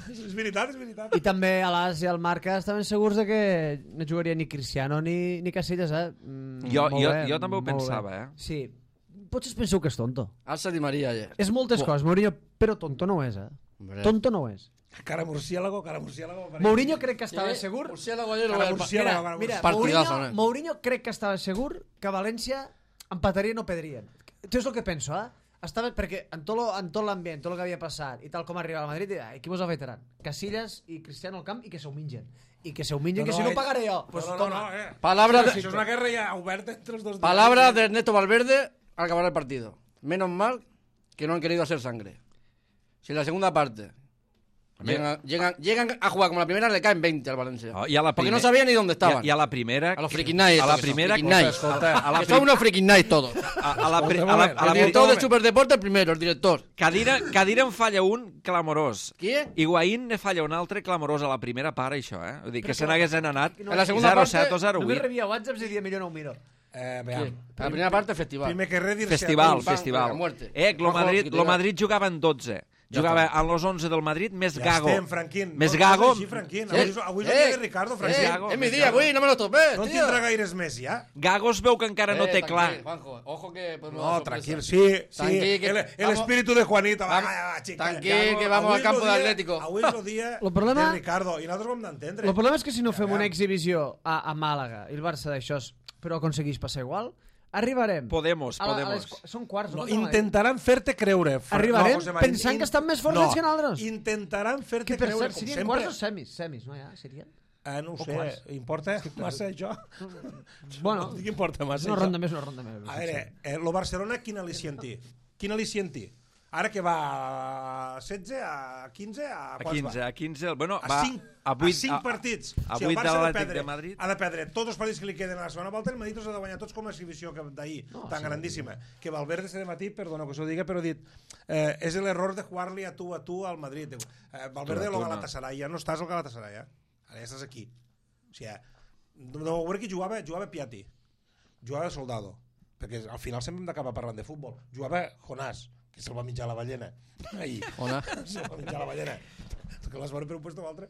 És veritat, és veritat. I també a l'As i al Marca estaven segurs de que no jugaria ni Cristiano ni, ni Casillas, eh? Mm, Jo- molt jo- bé, jo també ho molt pensava, bé. eh? Sí. Potser es penseu que és tonto. Alça Di Maria ayer. És moltes coses, Mourinho, però tonto no ho és, eh? Hombre. Tonto no ho és. Cara murciélago, cara murciélago. Mourinho crec que estava segur... Murciélago ayer lo Cara voy a- murciélago, Mira, cara mira murciélago. Partidazo, Mourinho, eh? Mourinho crec que estava segur que València empataria i no perdrien. Tu és el que penso, eh? Estava, perquè en tot, lo, en tot l'ambient, tot el que havia passat i tal com arribava al Madrid, ai, qui vos afeitaran? Casillas i Cristiano al camp i que s'ho mengen. I que s'ho mengen, No, que no, si no ell- pagaré jo. No, Pues no, no, toma. no, eh. Palabra Això de, és una guerra ja oberta entre els dos. palabra de Ernesto Valverde al acabar el partido. Menos mal que no han querido hacer sangre. Si en la segunda parte llegan, llegan, llegan a jugar como la primera, le caen veinte al Valencia. Oh, i a la Porque primer- no sabían ni dónde estaban. I a, i a la primera... A los friki nights. A la estos que son, primera... friki nights. Escolta, a la Que son unos friki nights todos. A, a la, pri- a la, a El la director pri- de Superdeporte el primero, el director. Cadira, Cadira en falla un clamorós. Qui? Higuaín ne falla un altre clamorós a la primera part, això, eh? Vull dir, que se n'haguessin anat En la segunda zero parte, set o zero Només vuit. rebia whatsapps i dia millor no ho miro. Eh, Sí. veam. A la primera parte, festival. Primer que res, dir-se... Festival, Pim, pam, festival. a muerte. Eh, lo Ojo, Madrid, que te lo diga. Madrid jugava en dotze. Jugava en los onze del Madrid, més Ja Gago. estem, Franquín. Més No, Gago. no és així, Franquín. Avui, és- avui és el dia de Ricardo, Franquín. Gago. Es mi día, güey, no me lo topes, No en tío. tindrà gaires més, ja? Gago es veu que encara no Eh, té tranquil, clar. Juanjo, ojo que podemos No, dar tranquil, sorpresa. sí, sí. Tranquil, que el, el vamos- espíritu de Juanito. Va, Vamos- va, va, xica. tranquil, que vamos Avui al campo és de el dia- Atlético. Avui és el dia El problema- de Ricardo, i nosaltres ho hem d'entendre. El problema és que si no fem Ja, una ja. exhibició a, a Màlaga i el Barça d'això però aconsegueix passar igual, arribarem. Podemos, A la- a podemos. les qu- Són quarts, No, no? intentaran fer-te creure. Fra- Arribarem José Marín, pensant que estan més forts no, ells que nosaltres. intentaran fer-te Que per creure, cert, com serien sempre. quarts o semis? Semis, no ja? Serien? Ah, no ho o sé, quarts. importa massa això? Bueno, No dic que importa massa una això. ronda més, una ronda més. A veure, eh, lo Barcelona quin al·licientí? Quin al·licientí? Ara que va a setze, a quinze, a A quants quinze, va? a quinze... Bueno, A va cinc, a a vuit, cinc partits. A O sigui, el vuit Barça de ha de l'Atlètic perdre- de Madrid. Ha de perdre tots els partits que li queden a la segona volta, el Madrid els ha de guanyar tots com a exhibició que- d'ahir, No, tan sí. grandíssima. Que Valverde este matí, perdona que us ho diga, però ha dit eh, és l'error de jugar-li a tu a tu al Madrid. Diu, eh, Valverde Tu a tu, lo no. Galatasaray, ja no estàs al Galatasaray, eh? Ara ja estàs aquí. O sigui, no, no veure qui jugava, jugava Piatti, jugava Soldado, perquè al final sempre hem d'acabar parlant de futbol. Jugava Jonás, que se'l va menjar la ballena. Ahir. Jonás. Se'l va menjar la ballena. Que l'has veure per un puesto o altre.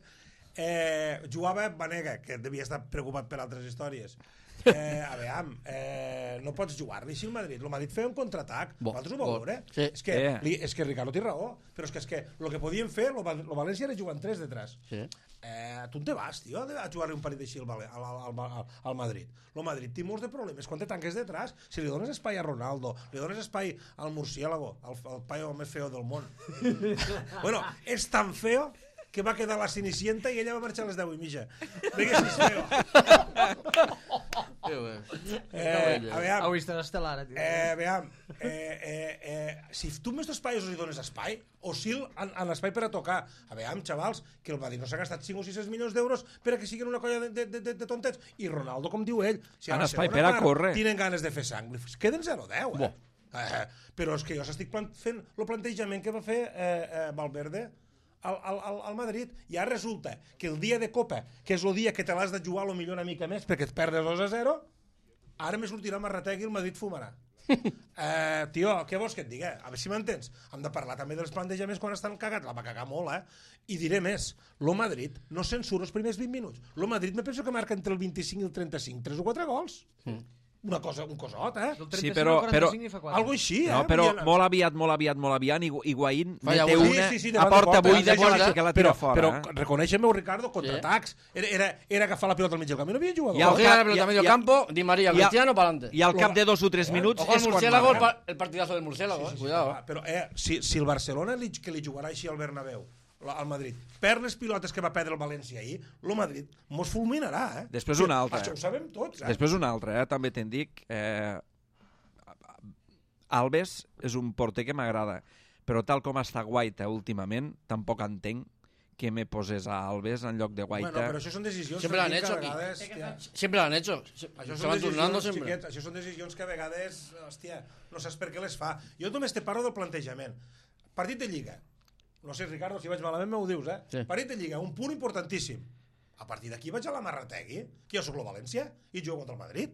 Eh, jugava Banega, que devia estar preocupat per altres històries. Eh, a veure, eh, no pots jugar-li així al Madrid. El Madrid feia un contraatac. Bo, Vosaltres ho vau bo. veure? Sí. És que, Eh. li, és que Ricardo té raó, però és que, és que el que podien fer, el, Val- el València era jugar en tres detrás. Sí. Eh, tu on te vas, tio, a jugar-li un partit així al, Vale- al, al, al, al Madrid? El Madrid té molts de problemes. Quan te tanques detrás, si li dones espai a Ronaldo, li dones espai al murciélago, al, al paio més feo del món. Bueno, és tan feo que va quedar la Cenicienta i ella va marxar a les deu i mitja. Vinga, si és feo. Sí, güey. Eh, a veure, Avui estarà estel·lar, eh, tio. Eh, veam, eh, eh, eh, si tu més dos paios li dones espai, oscil en, en espai per a tocar. A veure, xavals, que el Madrid no s'ha gastat cinc o sis milions d'euros per a que siguin una colla de, de, de, de tontets. I Ronaldo, com diu ell, si a En la espai segona per a part córrer. Tenen ganes de fer sang, pues queden zero deu, eh? eh? Però és que jo s'estic plant, fent el plantejament que va fer eh, eh, Valverde al, al, al, al Madrid, i ara resulta que el dia de Copa, que és el dia que te l'has de jugar potser una mica més perquè et perdes dos a zero, ara me sortirà Marratec i el Madrid fumarà. eh, tio, què vols que et digui? A veure si m'entens. Hem de parlar també dels plantejaments quan estan cagats. La va cagar molt, eh? I diré més. Lo Madrid no se'n surt els primers vint minuts. Lo Madrid me penso que marca entre el vint-i-cinc i el trenta-cinc. tres o quatre gols. Mm. Una cosa, un cosot, eh? Del Sí, trenta-cinc però- al quaranta-cinc però- i fa quatre. Algo així, eh? No, però Vull dir, molt aviat, molt aviat, molt aviat, molt aviat, Higu- Higuaín Falla mete una. una Sí, sí, sí, a davant de porta porta, buida, sí, que sí, la, sí. que la però, tira fora. però eh? reconeixem-ho, Ricardo, contraatacs. Era, era, era agafar la pilota al mig del camp. No havia jugador. I al Cogía cap- la pelota y- a medio y- campo, Di María, y- Cristiano, para adelante. I al cap de dos o tres minuts Ojo al és quan murciélago, el, marca. pa- el partidazo del murciélago, Sí, eh. sí, Cuidado. sí, però eh, si, si el Barcelona li, que li jugarà així al Bernabéu, la- al Madrid, perd les pilotes que va perdre el València ahir, el Madrid mos fulminarà, eh? Després Sí, una altra, Això eh? ho sabem tots, eh? Després una altra, eh? també te'n dic. Eh... Alves és un porter que m'agrada, però tal com està Guaita últimament, tampoc entenc que me poses a Alves en lloc de Guaita. Bueno, però això són decisions Siempre l'han Fermín, hecho que a aquí. vegades, hòstia, Siempre lo han hecho. Se, això se són van turnando decisions, siempre. xiquet, això són decisions que a vegades, hòstia, no saps per què les fa. Jo només te parlo del plantejament. Partit de Lliga. No sé, Ricardo, si vaig malament m'ho dius, eh? Sí. Partit de Lliga, un punt importantíssim. A partir d'aquí vaig a la Marrategui, que jo soc el València, i jugo contra el Madrid.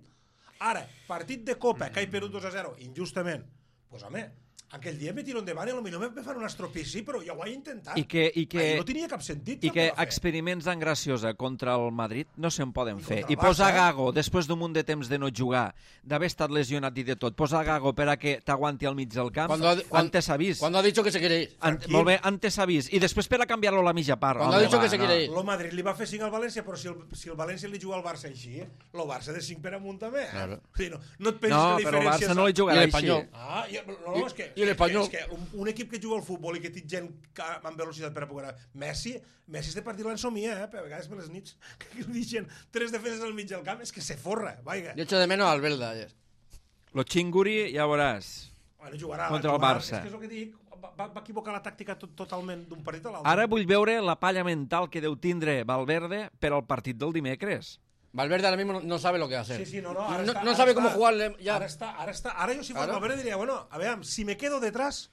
Ara, partit de Copa, que he perdut dos a zero, injustament, doncs, pues, home, aquell dia me tiro endavant i potser me fan un estropici, però ja ho he intentat. I que, i que, Ai, no tenia cap sentit. i el que va fer. experiments en Graciosa contra el Madrid no se'n poden I fer. contra el I posar Barça, eh? Gago, després d'un munt de temps de no jugar, d'haver estat lesionat i de tot, posar Gago per a que t'aguanti al mig del camp, Cuando ha- cuan- antes avís. Cuando ha dicho que se quiere ir. An Tranquil. molt bé, antes avís. I després per a canviar-lo a la mitja part. Cuando ha Home, dicho va, que se quiere ir. El Madrid li va fer cinc al València, però si el, si el València li juga al Barça així, el Barça de cinc per amunt també. Eh? Claro. O sigui, no, no et pensis No, que la però el diferència... Barça no li I jugarà així. l'Espanyol. Ah, i, no, no, és que, I l'Espanyol. és que un, un equip que juga al futbol i que té gent que, amb velocitat per a poder... Messi, Messi este partit l'ensomia, eh? Per a vegades per les nits que li deixen tres defenses al mig del camp, és que se forra, vaiga. Yo echo de menos al Belda ayer. Lo Chinguri, ja veuràs. Bueno, jugarà, Contra el jugarà. Barça. És que és el que dic, va, va equivocar la tàctica tot, totalment d'un partit a l'altre. Ara vull veure la palla mental que deu tindre Valverde per al partit del dimecres. Valverde ahora mismo no, no sabe lo que hacer. Sí, sí, no, no, ara no, està, no ara sabe està, cómo jugarle ya. Ara està, ara està. Ara jo si fos Ara? Valverde diria, bueno, a veure, si me quedo detrás,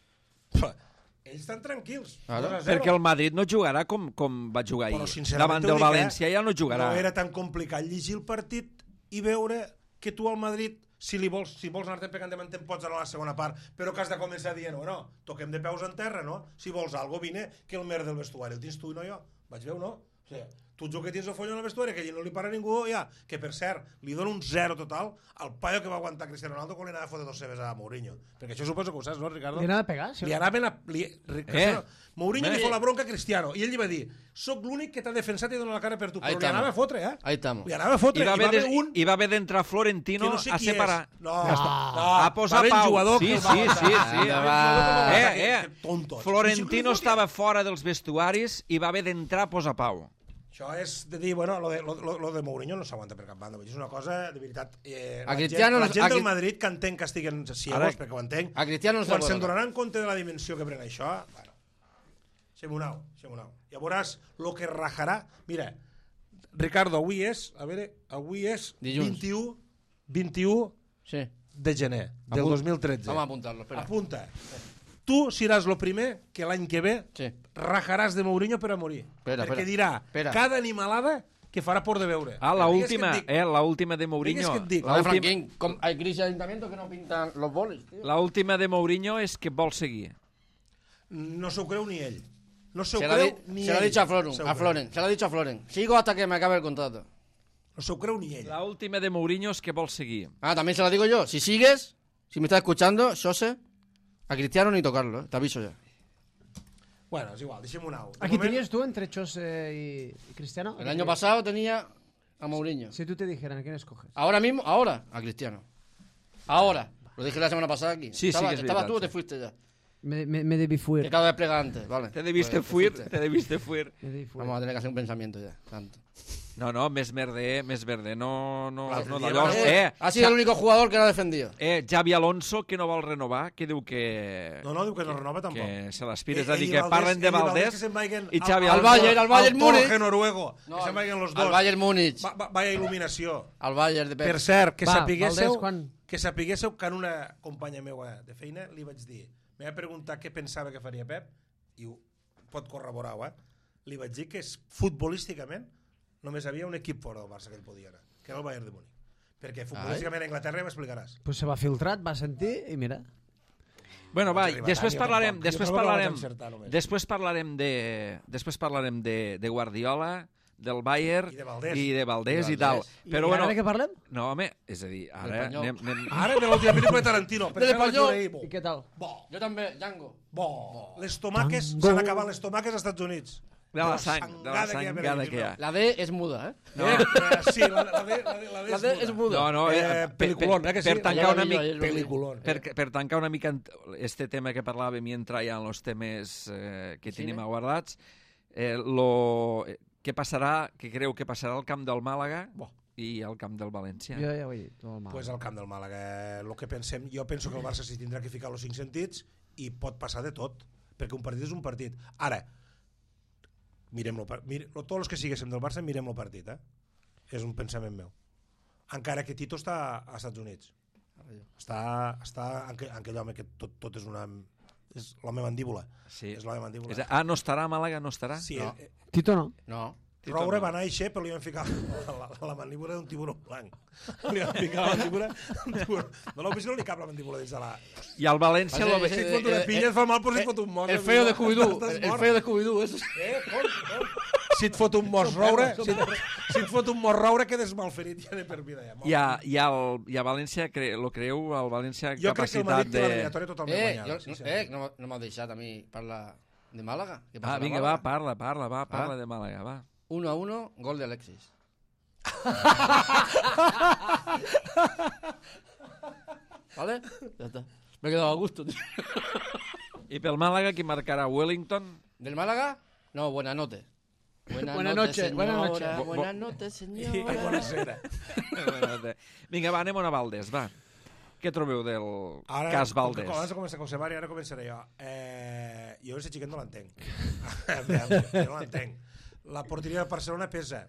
pf, ells estan tranquils. Ara? dos a zero. Perquè el Madrid no jugarà com, com va jugar Però, ahir. sincerament, Davant t'ho del dic, València eh, ja no jugarà. No era tan complicat llegir el partit i veure que tu al Madrid, si li vols, si vols anar-te pegant de te'n pots anar a la segona part, però que has de començar dient, bueno, toquem de peus en terra, no? Si vols algo, vine, que el mer del vestuari el tens tu i no jo. Vaig veure, no? O sigui, tu ets el que tens el follon al vestuari, que allí no li para ningú, ja. Que, per cert, li dono un zero total al paio que va aguantar Cristiano Ronaldo quan li anava a fotre dos cebes a Mourinho. Perquè això suposo que ho saps, no, Ricardo? Li anava a pegar? Sí. Li anaven a... Li, Cristiano, Eh? Mourinho Eh? li fot la bronca a Cristiano i ell li va dir, soc l'únic que t'ha defensat i dona la cara per tu, Ahí però li estamos. anava a fotre, eh? Ahí estamos. Li anava a fotre, I va i va haver, haver de, un i va haver d'entrar que Florentino no sé a qui separar. és. No, Ja està. no, A posar va haver un pau. jugador Sí, que el sí, va sí, matar. sí. Va haver un jugador que el va matar, Eh, que- eh. que tontos. Florentino Sí, sí, estava fora dels vestuaris i va haver d'entrar a posar pau. Això és de dir, bueno, lo de, lo, lo, lo de Mourinho no s'aguanta per cap banda. És una cosa, de veritat... Eh, A la Cristiano gent, la no- gent a del Cri- Madrid que entenc que estiguen ciegos, Ara- perquè ho entenc, A Cristiano no se quan puede se'n tocar. donaran compte de la dimensió que pren això, bueno, Xemunau, Xemunau. Ja veuràs el que rajarà. Mira, Ricardo, avui és, a veure, avui és Dilluns. vint-i-u, vint-i-u Sí. de gener del Apunt- dos mil tretze. Vamos a apuntarlo, espera. Apunta. Tu seràs el primer que l'any que ve Sí. rajaràs de Mourinho per a morir. Espera, perquè espera. dirà Espera. cada animalada que farà por de veure. Ah, la Digues última, que et dic. eh, la última de Digues Mourinho. que et dic. La La de última, Franquín, com- hay crisis de ayuntamiento que no pintan los bolis, tío. la última de Mourinho és que vol seguir. No s'ho creu ni ell. No s'ho Se lo ha creu di- ni se lo ha ell. dicho a Floren, S'ho a creu. Floren, se lo ha dicho a Floren. Sigo hasta que me acabe el contrato. No s'ho creu ni ell. La última de Mourinho és que vol seguir. Ah, también se lo digo yo. Si sigues, si me estás escuchando, José, a Cristiano ni tocarlo, ¿eh? Te aviso ya. Bueno, és igual, deixem un au. De ¿A quién moment- tenías tú entre Chose y, y Cristiano? El año pasado tenía a Mourinho. Si tú te dijeran, ¿a quién escoges? Ahora mismo, ahora, a Cristiano. Ahora. Lo dije la semana pasada aquí. Sí, sí Estaba- que es ¿Estabas verdad, tú o sí. te fuiste ya? Me, me, me debí Que fuir. cada vez plega antes, vale. Te debiste Pues, fuir, fuiste. te debiste fuir. Me debí fuir. Vamos a tener que hacer un pensamiento ya, tanto. No, no, més merder, més verde. No, no, L'altre no dia d'allò. va- Eh, Ha sido el único jugador que lo ha defendido. eh, Xavi Alonso, que no vol renovar, que diu que... No, no, diu que no renova tampoc. Que se l'aspires Ell- a dir ell i que Valdés- parlen de ell i Valdés Valdés que se'n vagin i al- Xavi al Alonso. Bayern, al Bayern Torge Múnich. noruego. No, que se'n vagin los dos. Al Bayern Múnich. Va, va, vaya il·luminació. Al Bayern de Pep. Per cert, que Va, sapiguéssiu, Valdés, quan? que sapiguéssiu que en una companya meua de feina li vaig dir, me va preguntar què pensava que faria Pep i ho pot corroborar-ho, eh? Li vaig dir que és, futbolísticament només havia un equip fora del Barça que ell podia anar, que era el Bayern de Múnich. Perquè futbolísticament a Anglaterra ja m'explicaràs. Pues se va filtrat, va sentir i mira. Bueno, va, vaig arribar després tant, jo parlarem, tampoc. després Jo tampoc la vaig parlarem, encertar, només. després parlarem de, després parlarem de, de Guardiola, del Bayern I de Valdés. i de Valdés I i tal. Valdés. Però I bueno, ara de què parlem? no, home, és a dir, ara L'Espanyol. anem, anem, Ara de l'última pel·lícula de Tarantino. Per Del què la vaig Espanyol. veure ahir? Bo, I què tal? bo, Yo también, Django. bo. Les tomaques, Tango. s'han acabat les tomaques als Estats Units. de la sang, de la sangada que hi ha. La D es muda, ¿eh? No. Eh, eh, sí, la, la, D, la, D, la, D La D es muda. No, no, eh, Eh, per- peliculón, per, eh, que sí? per tancar Ayer una lo vi yo, mica ayer lo vi. Peliculón. per, per tancar una mica este tema que parlàvem i entrar ja en els temes eh, que Sí, tenim eh? aguardats, eh, lo, eh, què passarà, què creu que passarà al camp del Màlaga Bo. i al camp del València? Jo ja ho he dit, molt mal. Pues al camp del Màlaga, el que pensem, jo penso que el Barça s'hi tindrà que ficar els cinc sentits i pot passar de tot, perquè un partit és un partit. Ara, mirem-lo, mire, tots els que siguéssim del Barça mirem el partit, eh? És un pensament meu. Encara que Tito està als Estats Units. Està, està en, que, en aquell home que tot, tot és una... és la meva mandíbula. Sí. És la meva mandíbula. És, ah, no estarà a Màlaga, no estarà? Sí, No. eh, Tito no. No. Roure va néixer, però li van ficar la, la, la mandíbula d'un tiburó blanc. Li van ficar la mandíbula d'un tiburó. No l'heu vist, no li cap la mandíbula dins de la... I al València... Passa, Lo... eh, Si et fot una pilla et fa mal, però si et fot un mos... El feo de Scooby-Doo. Estàs El mort. feo de Scooby-Doo. Eso. Eh, com, com? Si et fot un mos roure, si et, si et fot un mos roure, quedes malferit ja de per vida. Ja, Hi ha, hi ha, el, hi ha València, cre, lo creu, el València jo crec que el capacitat Madrid té de... l'eliminatòria totalment Eh, guanyada. jo, no, eh, no, no m'ha deixat a mi parlar de Màlaga. Què passa Ah, a vinga, Màlaga? va, parla, parla, va, parla Ah. de Màlaga, va. Uno a uno, gol de Alexis. ¿Vale? Ya está. Me he quedado a gusto, tío. I pel Màlaga, qui marcarà? Wellington? ¿Del Málaga? No, buenas noches. Buenas Buenas noches, noches, buenas señora. noches. Bo- bo- Buenas noches, I señora. buonasera. Vinga, va, anem a Valdés, va. Què trobeu del Ara, cas com Valdés? que abans de començar José Mari, ara començaré jo. Eh, jo aquest xiquet no l'entenc. Jo no l'entenc. La porteria del Barcelona pesa.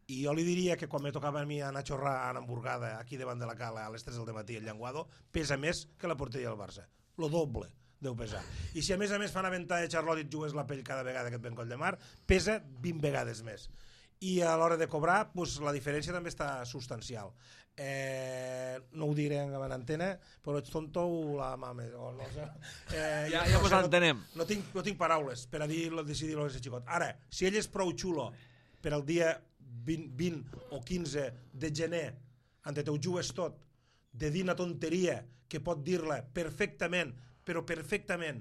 I jo li diria que quan me tocava a mi anar a xorrar en hamburgada aquí davant de la cala a les tres del matí al Llenguado, pesa més que la porteria del Barça. Lo doble deu pesar. I si a més a més fan aventar de Charlotte i et jugues la pell cada vegada que et ven coll de mar, pesa vint vegades més. I a l'hora de cobrar, pues, la diferència també està substancial. Eh, no ho diré en antena, però ets tonto o la mame. O no sé. Eh, Ja- jo ja no mos sé, no- entenem. No tinc, no tinc paraules per a dir, decidir-lo a aquest xicot. Ara, si ell és prou xulo per al dia vint, vint o quinze de gener, en te ho jugues tot, de dir una tonteria que pot dir-la perfectament, però perfectament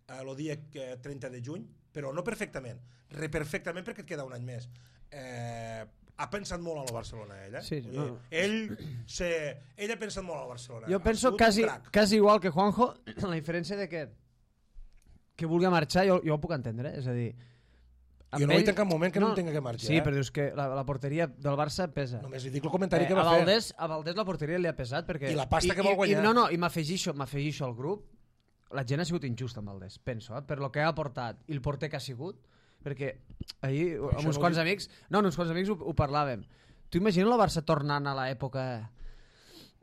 el dia que trenta de juny, però no perfectament, reperfectament perquè et queda un any més. Eh, ha pensat molt a la Barcelona, ell, eh? Sí, Vull no. dir, ell, se, ell ha pensat molt a la Barcelona. Jo Ha penso sigut un quasi, crac. quasi igual que Juanjo, la diferència de que que vulgui marxar, jo, jo ho puc entendre, eh? És a dir... amb Jo no he ell- dit en cap moment que no, no tinga que marxar. Sí, eh? però dius que la, la porteria del Barça pesa. Només li dic el comentari Eh, que a, va fer. Valdés, a Valdés la porteria li ha pesat perquè... I la pasta que vol guanyar. I, no, no, i m'afegixo m'afegixo al grup, la gent ha sigut injusta amb Valdés, penso, eh? Per lo que ha aportat i el porter que ha sigut, perquè ahir amb això uns no quants ho amics, no, amb uns quants amics ho, ho parlàvem. Tu imagines la Barça tornant a l'època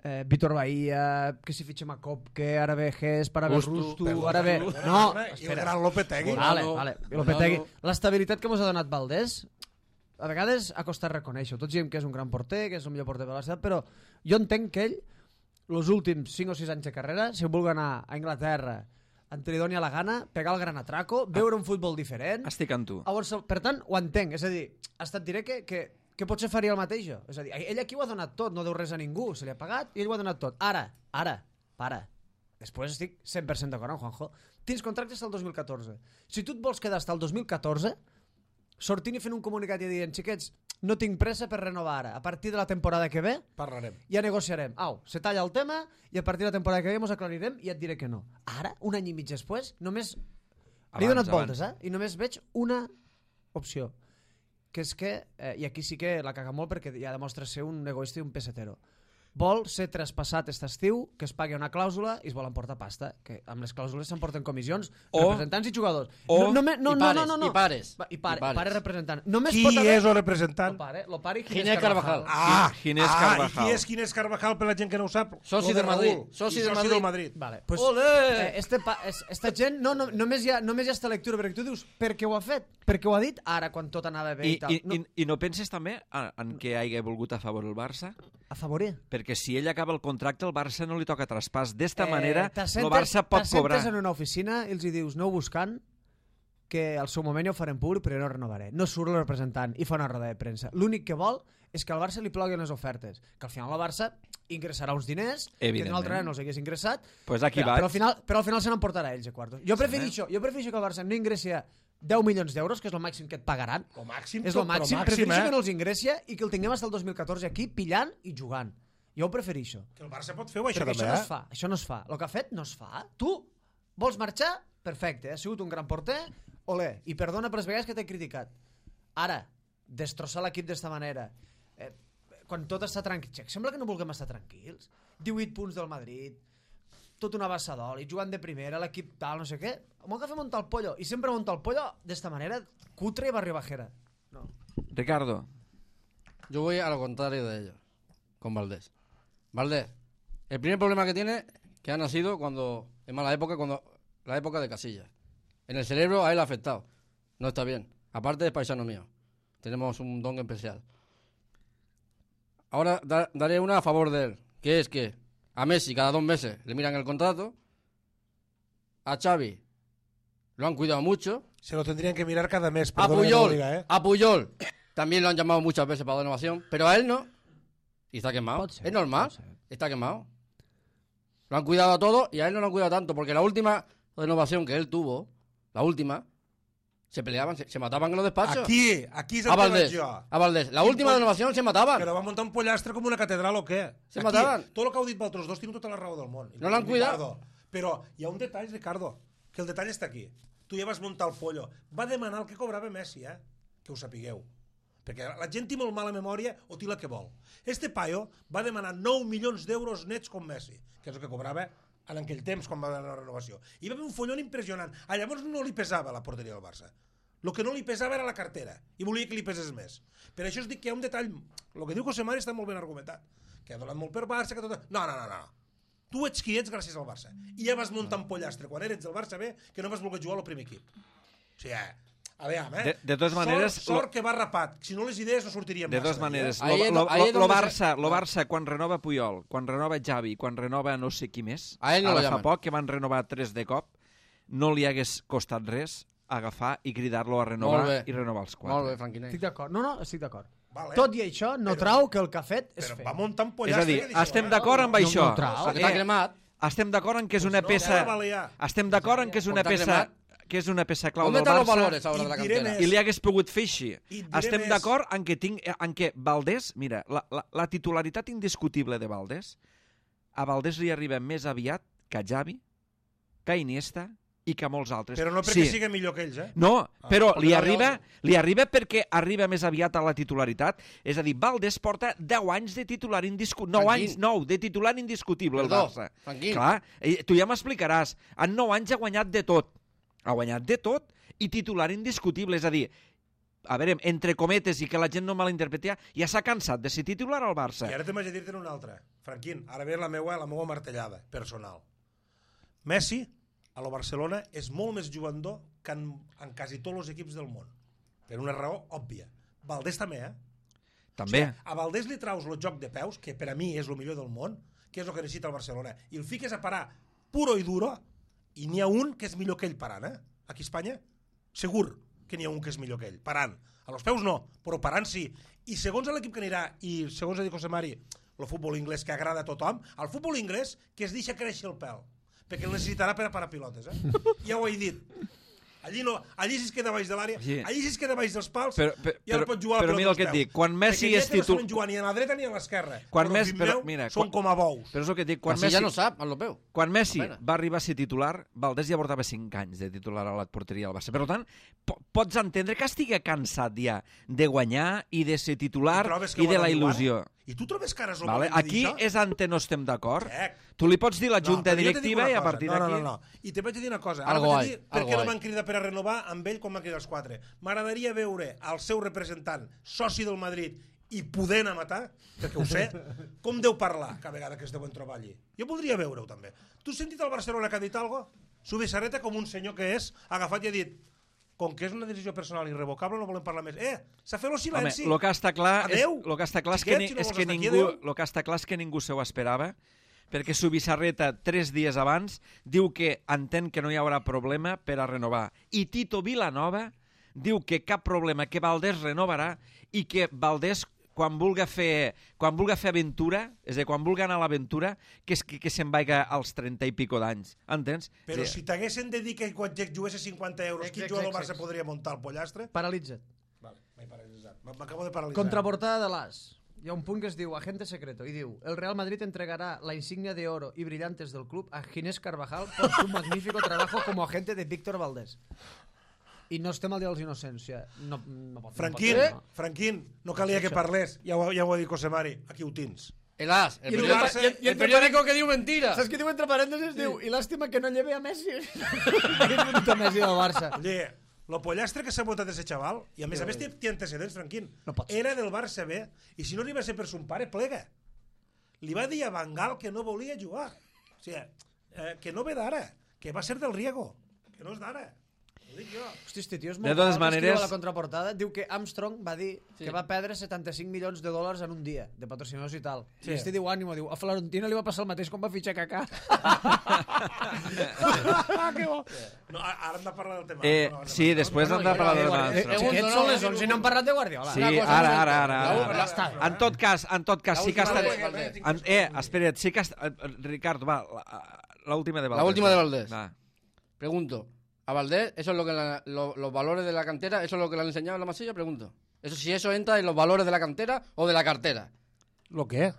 eh, Vítor Bahía, que si fitxem a Kopke, ara ve Ges, ara ve Rustu, Rustu, Perdona, ara ve... perdona, No, perdona, I el espera. gran Lopetegui. Vale, Bonano, vale. Bonano. Lopetegui. L'estabilitat que mos ha donat Valdés, a vegades ha costat reconèixer-ho. Tots diem que és un gran porter, que és el millor porter de la ciutat, però jo entenc que ell, els últims cinc o sis anys de carrera, si vulgui anar a Anglaterra, en te li doni a la gana, pegar el gran atraco, veure un futbol diferent... Estic amb tu. Llavors, per tant, ho entenc. És a dir, hasta et diré que, que, que potser faria el mateix jo. És a dir, ell aquí ho ha donat tot, no deu res a ningú, se li ha pagat i ell ho ha donat tot. Ara, ara, para. Després estic cent per cent d'acord amb Juanjo. Tens contracte fins al dos mil catorze. Si tu et vols quedar fins al dos mil catorze, sortint i fent un comunicat i dient, xiquets, no tinc pressa per renovar ara. A partir de la temporada que ve, Parlarem. ja negociarem. Au, se talla el tema i a partir de la temporada que ve mos aclarirem i et diré que no. Ara, un any i mig després, només... Li he Abans, donat abans. voltes, eh? I només veig una opció, que és que, eh, i aquí sí que la caga molt perquè ja demostra ser un egoista i un pesetero, vol ser traspassat aquest estiu, que es pagui una clàusula i es vol emportar pasta, que amb les clàusules s'emporten comissions, O- representants i jugadors. o- no, no, no, I no, pares, no, no, no. i pares, Va, I, pare, i pares. pare representant. Només Qui pot haver... és el Lo representant? pare, lo pare i Ginés Ginés Carvajal. Carvajal. Ah, Ginés ah, Carvajal. I qui és Ginés Carvajal per la gent que no ho sap? Soci Lo del Madrid, Raúl. soci I del soci Madrid. del Madrid. Vale, pues, Olé! eh, este pa, es, esta gent no, no, només, hi ha, només hi ha esta lectura perquè tu dius per què ho ha fet, perquè ho ha dit ara quan tot anava bé i, I, tal i, no, i, I no penses també en, en què hagi volgut a favor el Barça? a favorir Perquè si ell acaba el contracte, el Barça no li toca traspàs. D'esta manera, el t'assentes- Barça pot cobrar. t'assentes en una oficina i els hi dius aneu buscant que al seu moment ja ho farem públic però jo no renovaré, no surt el representant i fa una roda de premsa, l'únic que vol és que al Barça li ploguin les ofertes, que al final el Barça ingressarà uns diners que Evidentment. d'una altra manera no els hagués ingressat, Pues aquí però, vaig. però, al final, però al final se n'emportarà ells a quartos. Jo prefereixo, jo prefereixo que el Barça no ingressi deu milions d'euros, que és el màxim que et pagaran, Lo màxim, és el però màxim, màxim, prefereixo eh? que no els ingressi i que el tinguem fins al dos mil catorze aquí pillant i jugant. Jo ho prefereixo. Que el Barça pot fer-ho, això Perquè també, això no es eh? fa, això no es fa. El que ha fet no es fa. Tu vols marxar? Perfecte, ha sigut un gran porter, olé, i perdona per les vegades que t'he criticat. Ara, destrossar l'equip d'esta manera, eh, quan tot està tranquil, sembla que no vulguem estar tranquils. divuit punts del Madrid, tota una bassa d'oli, jugant de primera, l'equip tal, no sé què, m'ho agafa montar el pollo, i sempre monta el pollo d'esta manera, cutre y barrio bajera. No. Ricardo. Yo voy a lo contrario de ellos, con Valdés. Valdés, el primer problema que tiene, que ha nacido cuando, en mala época, cuando la época de Casillas. En el cerebro a él ha afectado. No está bien. Aparte es paisano mío. Tenemos un don especial. Ahora da, daré una a favor de él, que es que a Messi cada dos meses le miran el contrato, a Xavi lo han cuidado mucho, Se lo tendrían que mirar cada mes. a perdona que te lo Puyol, diga, ¿eh? a Puyol también lo han llamado muchas veces para la renovación, pero a él no. Y está quemado. Pot ser, es normal. pot ser. Está quemado. Lo han cuidado a todos y a él no lo han cuidado tanto, porque la última renovación que él tuvo, la última, se peleaban, se, se mataban en los despachos. Aquí, aquí és el a que vaig Valdés, jo. a Valdés. La Quin última poll- renovación se mataban. Però va muntar un pollastre com una catedral o què? Se Aquí, mataven. Tot el que heu dit vosaltres dos tinc tota la raó del món. No l'han cuidat. Ricardo. Però hi ha un detall, Ricardo, que el detall està aquí. Tu ja vas muntar el pollo. Va demanar el que cobrava Messi, eh? Que ho sapigueu. Perquè la gent té molt mala memòria o té la que vol. Este paio va demanar nou milions d'euros nets com Messi, que és el que cobrava en aquell temps quan va demanar la renovació. I va haver un follon impressionant. A llavors no li pesava la porteria del Barça. El que no li pesava era la cartera i volia que li pesés més. Per això us dic que hi ha un detall. El que diu José Mari està molt ben argumentat. Que ha donat molt per Barça, que tot... No, no, no, no. Tu ets qui ets gràcies al Barça. I ja vas muntar un pollastre quan eres del Barça B que no vas voler jugar al primer equip. O sigui, eh? A veure, eh? De, de totes maneres... Sort, sort que va rapat. Si no les idees no sortirien De massa. totes maneres, Eh? lo, Ahí es lo, do- ahí es lo, lo donde Barça, se- lo Barça, quan renova Puyol, quan renova Xavi, quan renova no sé qui més, A ell no ara lo fa llaman. poc que van renovar tres de cop, no li hagués costat res agafar i cridar-lo a renovar Molt bé. i renovar els Molt quatre. bé, Franquinet. Estic d'acord. No, no, estic d'acord. Vale. Tot i això, no Però- trau que el que ha fet és Però fer. va muntar un És pollastre. a dir, que deixeu, estem eh? d'acord amb No, això. no trau. Perquè està cremat. Estem d'acord en que és Pues una no, peça... ja la valia. Estem d'acord en que és una Porta peça cremat. que és una peça clau On del están los Barça valores ahora I de la diré cantera? més. i li hagués pogut fer així. I diré Estem més. d'acord en que tinc en que Valdés, mira, la, la, la titularitat indiscutible de Valdés, a Valdés li arriba més aviat que a Xavi, que a Iniesta i que a molts altres. Però no perquè sí. sigui millor que ells, eh? No, però perquè li no arriba, arriba li arriba perquè arriba més aviat a la titularitat. És a dir, Valdés porta deu anys de titular indiscutible. nou Tranquil. anys, nou, de titular indiscutible el Perdó, Barça. tranquil. Clar, i tu ja m'explicaràs. En nou anys ha guanyat de tot. Ha guanyat de tot i titular indiscutible. És a dir, a veure, entre cometes i que la gent no malinterpreti, ja s'ha cansat de ser titular al Barça. I ara te'n vaig a dir-te'n una altra. Franquín, ara ve la meua, la meua martellada personal. Messi, a lo Barcelona, és molt més jugador que en, en quasi tots els equips del món. Per una raó òbvia. Valdés també, eh? També. O sigui, a Valdés li traus el joc de peus, que per a mi és el millor del món, que és el que necessita el Barcelona, i el fiques a parar puro i duro, i n'hi ha un que és millor que ell parant, eh? Aquí a Espanya, segur que n'hi ha un que és millor que ell, parant. A los peus no, però parant sí. I segons l'equip que anirà, i segons ha dit José Mari, el futbol inglès que agrada a tothom, el futbol inglés que es deixa créixer el pèl, perquè el necessitarà per a parar pilotes, eh? Ja ho he dit. Allí, no, allí si es queda baix de l'àrea, Sí. allí si es queda baix dels pals, Però- però- ja no pot jugar a la però pilota mira el als que et peus. dic, quan Messi Perquè és ja que no titul- saben jugar ni a la dreta ni a l'esquerra. Quan Però, Messi- fill però, meu, mira, són quan- com a bous. Però és el que et dic, quan Así Messi... ya no sap, lo veu. Quan Messi Apenas. va arribar a ser titular, Valdés ja portava cinc anys de titular a la porteria del Barça. Per tant, po pots entendre que estigui cansat ja de guanyar i de ser titular trobes que i ho de ha la de dir il·lusió. ara? I tu trobes que ara és el Vale? moment de dir Aquí això? és on no estem d'acord. Check. Tu li pots dir a la junta però jo t'he dit directiva una i a cosa. partir no, d'aquí... No, no, no. I te vaig dir una cosa. Ara Algo vaig a hay, dir per algo què no hay. van cridar per a renovar amb ell com van cridar els quatre. M'agradaria veure el seu representant, soci del Madrid, i podent a matar, perquè ho sé, com deu parlar cada vegada que es deuen trobar allí. Jo voldria veure-ho, també. Tu has sentit el Barcelona que ha dit alguna cosa? Su Bissarreta, com un senyor que és, ha agafat i ha dit com que és una decisió personal irrevocable, no volem parlar més. Eh, s'ha fet el Home, silenci. el que està clar és, Adeu. lo que està clar és que, Xiquet, ni, si no és vols que estar aquí, ningú, adeu. lo que està clar és que ningú se ho esperava, perquè Subissarreta, tres dies abans, diu que entén que no hi haurà problema per a renovar. I Tito Vilanova diu que cap problema, que Valdés renovarà i que Valdés, quan vulga fer, quan vulga fer aventura, és a dir, quan vulga anar a l'aventura, que, es- que, que se'n vaiga als trenta i pico d'anys. Entens? Però És a si dir, t'haguessin de dir que quan jugués cinquanta euros, Ex, quin ex, jugador del ex, Barça ex. podria muntar el pollastre? Paralitza't. Vale, m'he paralitzat. M'acabo de paralitzar. Contraportada de l'As. Hi ha un punt que es diu Agente Secreto i diu: el Real Madrid entregará la insignia de oro y brillantes del club a Ginés Carvajal por su magnífico trabajo como agente de Víctor Valdés. I no estem al dia dels innocents. O sigui, no, no pot, Franquín, no pot ser, no? Franquín, no calia que parlés, ja ho, ja ho ha dit José Mari, aquí ho tens. El as. El, I el periódico, Barça- el, el periódico que diu mentira. Saps què diu entre parèntesis? Diu, i làstima que no lleve a Messi. Que és un Messi del Barça. Oye, lo pollastre que s'ha votat ese xaval, i a més a més té, té antecedents, Franquín, No pot ser. era del Barça B, i si no li va ser per son pare, plega. Li va dir a Van Gaal que no volia jugar. O sigui, eh, que no ve d'ara, que va ser del Riego, que no és d'ara. Ho dic jo. Hosti, este tio és De molt totes clar, que escriu maneres- a la contraportada, diu que Armstrong va dir Sí. que va perdre setanta-cinc milions de dòlars en un dia, de patrocinadors i tal. Sí. I este diu ànimo, diu, a Florentino li va passar el mateix quan va fitxar Kaká. Que bo. No, ara hem de parlar del tema. Eh, No, no, sí, no, després no, hem no, de parlar no, del no, Barça. no, Eh, no, eh, Aquests són les onze i no hem parlat de Guardiola. Sí, Una cosa ara, molt- ara, ara. La- ara. la- està. En tot cas, en tot cas, sí que ha La estat... última de Valdés. En- Eh, espera't, sí que ha estat... Ricardo, va, la- la última de Valdés. La última de Valdés. Va. Pregunto, ¿a Valdés eso es lo que la- lo- los valores de la cantera, eso es lo que le han enseñado en la Masilla? Pregunto. Eso si eso entra en los valores de la cantera o de la cartera. Lo que?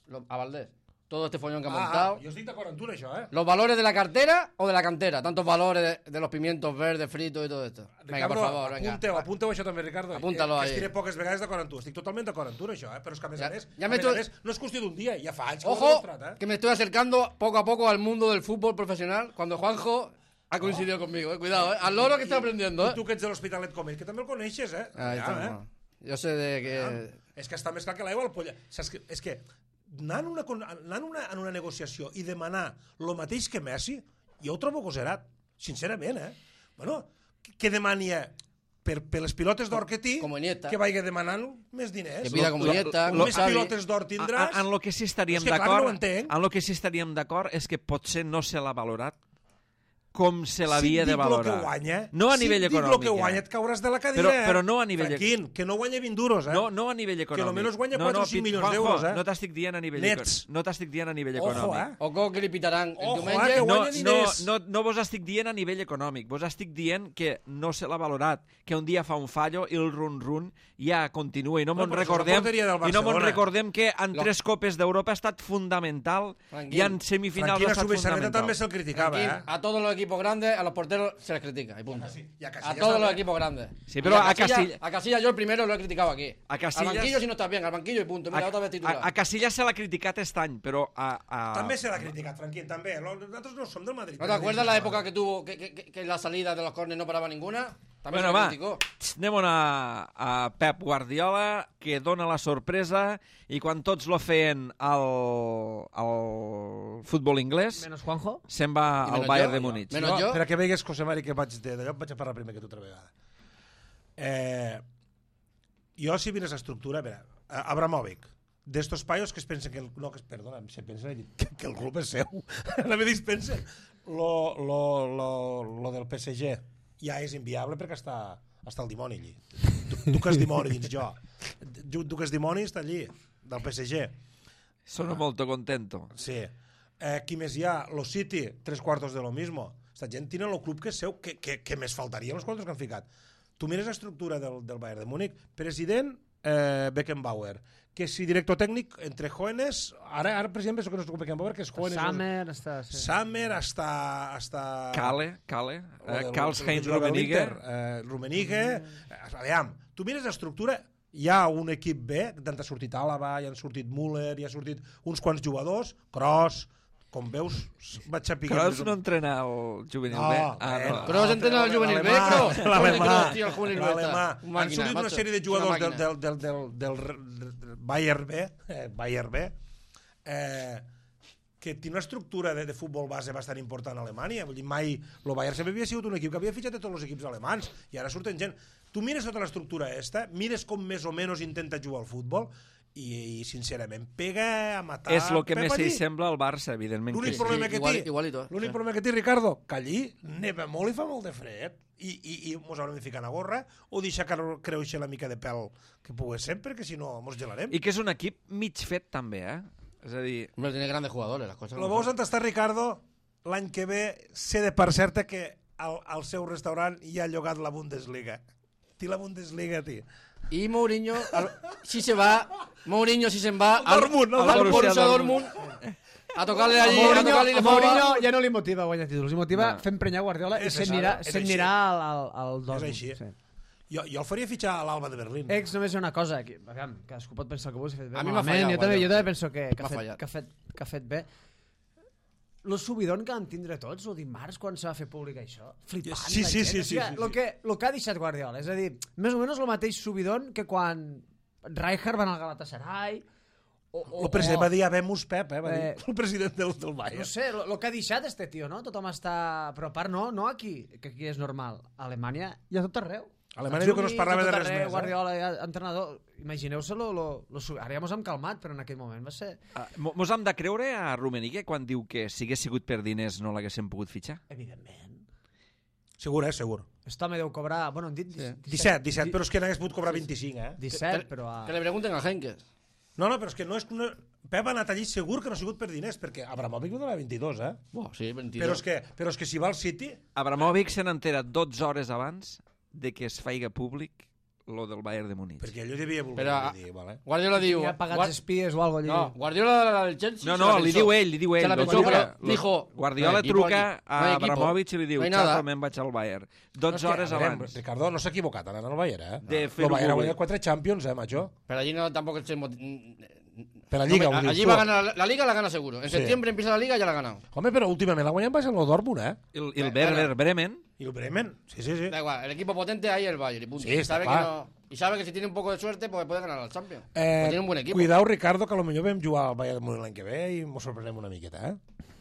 Lo- a Valdés. Todo este follón que ha Ah, montado. ah, jo estic d'acord amb tu en això, eh? ¿Los valores de la cartera o de la cantera? Tantos valores de, de los pimientos verdes, fritos y todo esto. Venga, por favor, venga. apunteu, apunteu això també, Ricardo. Apúntalo eh, que ahí. estiré poques vegades d'acord amb tu. Estic totalment d'acord amb tu en això, eh? Però és que a més Ja- a més, ja a m'he més, a tro- més no és qüestió d'un dia, ja fa anys que ho he Ojo, demostrat, eh? que me estoy acercando poco a poco al mundo del fútbol profesional cuando Juanjo ha coincidido conmigo. Eh. Cuidado, eh. Al loro que estoy aprendiendo. I Eh. tu que ets de l'Hospitalet com ell, que també el coneixes, eh? Ahí Ja, está, eh? no. Yo sé de que... Ah, és que està més clar que l'aigua al polla. Saps que, és que anant, una, con- anant una, en una negociació i demanar el mateix que Messi, jo ho trobo goserat, sincerament, eh? Bueno, que, que demani eh, per, per les pilotes d'or que té, Com Iniesta. que vagi demanant més diners. Que pida com Lo- Iniesta, lo- com més Xavi. pilotes d'or tindràs. En, en lo que sí estaríem És que, clar, d'acord, no ho entenc. en lo que sí estaríem d'acord és que potser no se l'ha valorat com se l'havia si de dic valorar. Lo que guanya, No a si nivell dic econòmic. lo que guanya, eh? et cauràs de la cadira. Però- eh? però no a nivell- Tranquil, que no guanya vint duros, eh? No, no a nivell econòmic. Que almenys guanya no, quatre no, o cinc Pit- milions Juanjo, d'euros, eh? No t'estic dient a nivell Nets. econòmic. No t'estic dient a nivell Ojo, econòmic. eh? Ojo que li pitaran el Ojo, diumenge. eh, que No, guanya no, diners. no, no vos estic dient a nivell econòmic, vos estic dient que no se l'ha valorat, que un dia fa un fallo i el run-run ja continua. I no No, mos però això és la recordem, porteria del i no mos Barcelona. recordem que en Lo- tres copes d'Europa ha estat fundamental Tranquil. i en semifinals Franquina ha estat Subisarreta fundamental. també se'l criticava, Aquí, eh? a todos los equipos grandes, a los porteros se les critica. Y punto. Y a a Casillas todos los también. equipos grandes. Sí, pero Y a Casilla- A Casillas yo el primero lo he criticado aquí. A Casillas- Al banquillo si no estás bien, al banquillo y punto. Mira, A, otra vez titular. a, a Casillas se l'ha criticat aquest any, però a... a... També se l'ha criticat, Franquín, també. Lo- Nosaltres no som del Madrid. ¿No te acuerdas la época que tuvo, que, que, que, que en la salida de los córneres no paraba ninguna? También Bueno, se le va, criticó. txt, anem a, a Pep Guardiola, que dona la sorpresa, i quan tots lo feien al, al futbol inglès, Menos Juanjo. se'n va I al menys Bayern jo, de jo. Múnich. Menys jo. Per a que vegues, José Mari, que vaig de- d'allò vaig a parlar primer que tu altra vegada. Eh, jo, si vines a estructura, a veure, a- Abramovic, d'estos paios que es pensen que... El, no, que es, perdona, se pensen que, que el club és seu. La me dispensen. Lo, lo, lo, lo del P S G ja és inviable perquè està, està el dimoni allí. Tu, tu que és dimoni dins jo. Tu, tu que és dimoni està allí, del P S G. Sono molto contento. Sí. Eh, qui més hi ha? Lo City, tres quartos de lo mismo. Esta gent tiene el club que és seu, que, que, que més faltaria els quartos que han ficat. Tu mires l'estructura del, del Bayern de Múnich, president eh, Beckenbauer, que si director tècnic entre jóvenes, ara, ara per exemple, que no és Beckenbauer, que és jóvenes... Summer està... Sí. Summer hasta... hasta Cale, Cale, lo eh, del- Karl-Heinz el que jugava a Rummenigge. l'Inter, Eh, Rummenigge... Eh, aviam, tu mires l'estructura, hi ha un equip B, d'on ha sortit Àlava, hi han sortit Müller, hi ha sortit uns quants jugadors, Kroos, com veus, vaig a picar... Kroos no entrena el juvenil No, B. bueno. no. Kroos entrena el juvenil B, Kroos. L'alemà, Kroos, tio, el juvenil B l'alemà. està. Un Han màquina, sortit una macho. sèrie de Una jugadors del, màquina. del, del, del, del, del Bayern B, eh, Bayern B, eh, que té una estructura de, de futbol base bastant important a Alemanya. Vull dir, mai... El Bayern sempre havia sigut un equip que havia fitxat de tots els equips alemans i ara surten gent. Tu mires tota l'estructura esta, mires com més o menys intenta jugar al futbol i, i sincerament, pega a matar... És el que Pep més allí. s'hi sembla al Barça, evidentment. L'únic que sí. problema que igual- té, igualito, l'únic sí. problema que té, Ricardo, que allí neva molt i fa molt de fred i, i, i mos haurem de ficar una gorra o deixar que creuixi la mica de pèl que pugui ser, perquè si no mos gelarem. I que és un equip mig fet també, eh? És a dir, Hombre, tiene grandes jugadores, las cosas. Lo como veus son. on està Ricardo? L'any que ve sé de per certa que al, al seu restaurant hi ha llogat la Bundesliga. Té la Bundesliga, tio. Y Mourinho, al- si se va, Mourinho si se va al, Dortmund, al, al Borussia Borussia Dortmund. Dortmund a tocarle allí, a Mourinho, tocarle y le Mourinho fa- ja no li motiva guanyar títols, li motiva No. fer emprenyar Guardiola i És se'n això, anirà, és se'n així. anirà al, al, al Dortmund. així. Sí. Jo, jo el faria fitxar a l'Alba de Berlín. Ex, només hi ha una cosa, que, aviam, cadascú pot pensar el que vulgui, si ha fet bé, A mi m'ha malament, fallat, jo també, Guardiola. jo també penso que, que, ha M'ha fet, fallat. que, ha fet, que ha fet bé. Lo subidon que vam tindre tots, el dimarts, quan se va fer públic això, flipant Sí, la sí, gent. sí, O sí, sigui, sí, Lo, sí. que, lo que ha deixat Guardiola, és a dir, més o menys el mateix subidon que quan Rijkaard va anar al Galatasaray, o, o, El president o, va dir Habemus Pep, eh? Va dir Eh, el president del, del Bayern. no sé, lo, lo que ha deixat este tio, no? Tothom està... Però a part no, no aquí, que aquí és normal. A Alemanya hi ha tot arreu. A Alemanya diu que no es parlava de res més, eh? Guardiola, eh? entrenador. Imagineu-se lo, lo, lo, ara ja mos hem calmat, però en aquell moment va ser... Uh, mos hem de creure a Rummenigge quan diu que si hagués sigut per diners no l'haguéssim pogut fitxar? Evidentment. Segur, eh? Segur. Aquest home deu cobrar... Bueno, han dit Sí. disset, disset, però és que n'hagués pogut cobrar vint-i-cinc, eh? disset, però... A... Que le pregunten a Henkes. No, no, però és que no és... No... Pep ha anat allí segur que no ha sigut per diners, perquè Abramovic va donar vint-i-dos, eh? Buah, sí, veintidós. Però és, que, però és que si va al City... Abramovic se n'entera dotze hores abans de que es faiga públic lo del Bayern de Múnich. Perquè ell ho devia voler Però, dir, vale? Guardiola diu... Hi ha pagats Guard- espies o alguna No, cosa Guardiola del Chelsea... No, se no, la li pensó. diu ell, li diu ell. Se la lo pensó, truca, pero lo- dijo... Guardiola no hay equipo truca aquí, no a hay equipo, Abramovic i li diu, no hay nada. xato, me'n vaig al Bayern. No, és dotze que, hores a veure, abans. Ricardo, no s'ha equivocat anant al Bayern, eh? De El fer-ho Bayern ha públic. guanyat quatre Champions, eh, macho? Pero allí no tampoco se... mot- Per la Lliga, No, ho dius allí tu. va a ganar la, la Liga, la gana seguro. En Sí. septiembre empieza la Liga, ya la ha ganado. Home, però últimament l'ha guanyat va ser el Dortmund, eh? El, el Werder Bremen, I el Bremen, sí, sí, sí. Da igual, el equipo potente ahí es el Bayern y punto. Sí, y, está sabe que claro. no, y sabe que si tiene un poco de suerte, pues puede ganar al Champions. Eh, Pues tiene un buen equipo. Cuidao, Ricardo, que potser vam jugar al Bayern de Múnich l'any que ve i mos sorprenem una miqueta, eh?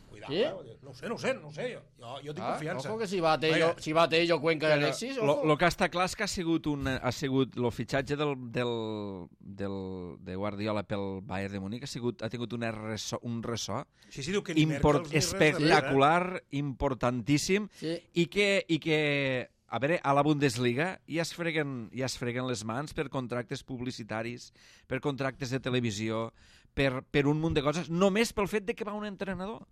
Cuidao, Sí? eh? No ho sé, no ho sé, no ho sé. Jo, jo, jo tinc Ah, confiança. ojo que si va Tello, Oiga, si va Tello, Cuenca y Alexis, lo, ojo. lo que està clar és que ha sigut, un, ha sigut el fitxatge del, del, del, de Guardiola pel Bayern de Múnich ha, sigut, ha tingut una ressò, un ressò Sí, sí, diu que ni import, Merkel ni res de res, espectacular, importantíssim, Sí. i que, i que a veure, a la Bundesliga ja es, freguen, ja es freguen les mans per contractes publicitaris, per contractes de televisió, per, per un munt de coses, només pel fet de que va un entrenador.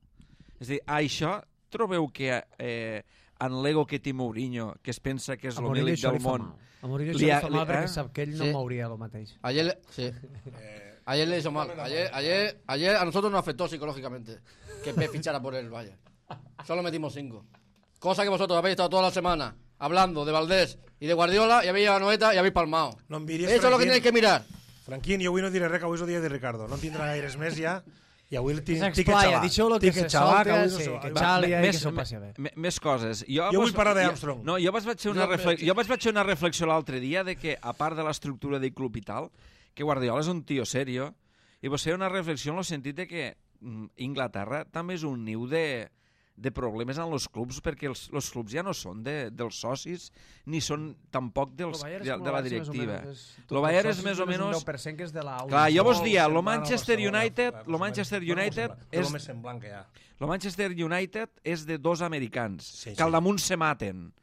És a dir, això trobeu que eh, en l'ego que té Mourinho, que es pensa que és A el Mourinho mílic això del li fa món, mal. A Mourinho Li això li ha- fa li- mal perquè eh? sap que ell no Sí. mouria el mateix. Ayer, le- sí. Ayer le hizo mal. Ayer, ayer, ayer a nosotros nos afectó psicológicamente que Pep fichara por el Bayern. Solo metimos cinco. Cosa que vosotros habéis estado toda la semana hablando de Valdés y de Guardiola y habéis llevado a Noeta y habéis palmado. No em miris, Eso es lo que Franquín. tenéis que mirar. Franquín, jo avui no diré res, que avui és el dia de Ricardo. No en tindrà gaires més ja. I avui el tinc, Que tinc que s'explaya, xalar. deixeu-lo que Tinc se xalar, solta, avui no sí, se- que va- xali. Me- i que més, s'ho passi bé. me- més coses. Jo, Jo vos- vull parlar jo- d'Armstrong. No, jo vaig fer una, No, reflex, però- jo vaig fer una reflexió l'altre dia de que, a part de l'estructura del club i tal, que Guardiola és un tio serio, i vos fer una reflexió en el sentit de que mm, Inglaterra també és un niu de, de problemes en els clubs, perquè els, els clubs ja no són de, dels socis, ni són tampoc dels, Lo Bayern de, és com de lo la Barça, més o directiva. menys, és- Lo Bayern és socis més o només un menys... deu per cent que és de la Clar, jo vos Molt dia, lo semblant al Manchester Barcelona, United, eh, lo Manchester bueno, United semblant, és el més semblant que hi ha. el Manchester United és de dos americans, Sí, que al sí. damunt se maten.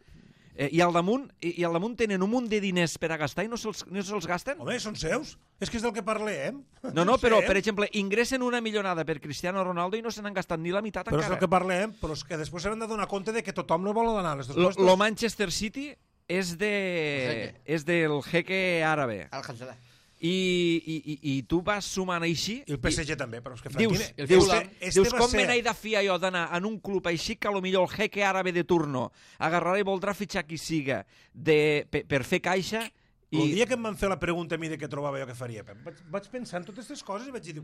Eh, i, al damunt, i, I al damunt tenen un munt de diners per a gastar i no se'ls no se'ls gasten? Home, són seus? És que és del que parlem. No, no, però, sé, per exemple, ingressen una milionada per Cristiano Ronaldo i no se n'han gastat ni la meitat Però és encara. del que parlem, però és que després s'han de donar compte de que tothom no vol donar les dues Lo, costes. lo Manchester City és de Jeque. és del jeque àrabe. Al Hansalah. I, i, i, i tu vas sumant així... I el P S G també, però és que Dius, Franquín... el dius, Fulham, este dius va com ser- me n'he de fiar jo d'anar en un club així que potser el jeque àrabe de turno agarrarà i voldrà fitxar qui siga de, per, per fer caixa I... El i... dia que em van fer la pregunta a mi de què trobava jo que faria, Pep, vaig, vaig pensar en totes aquestes coses i vaig dir,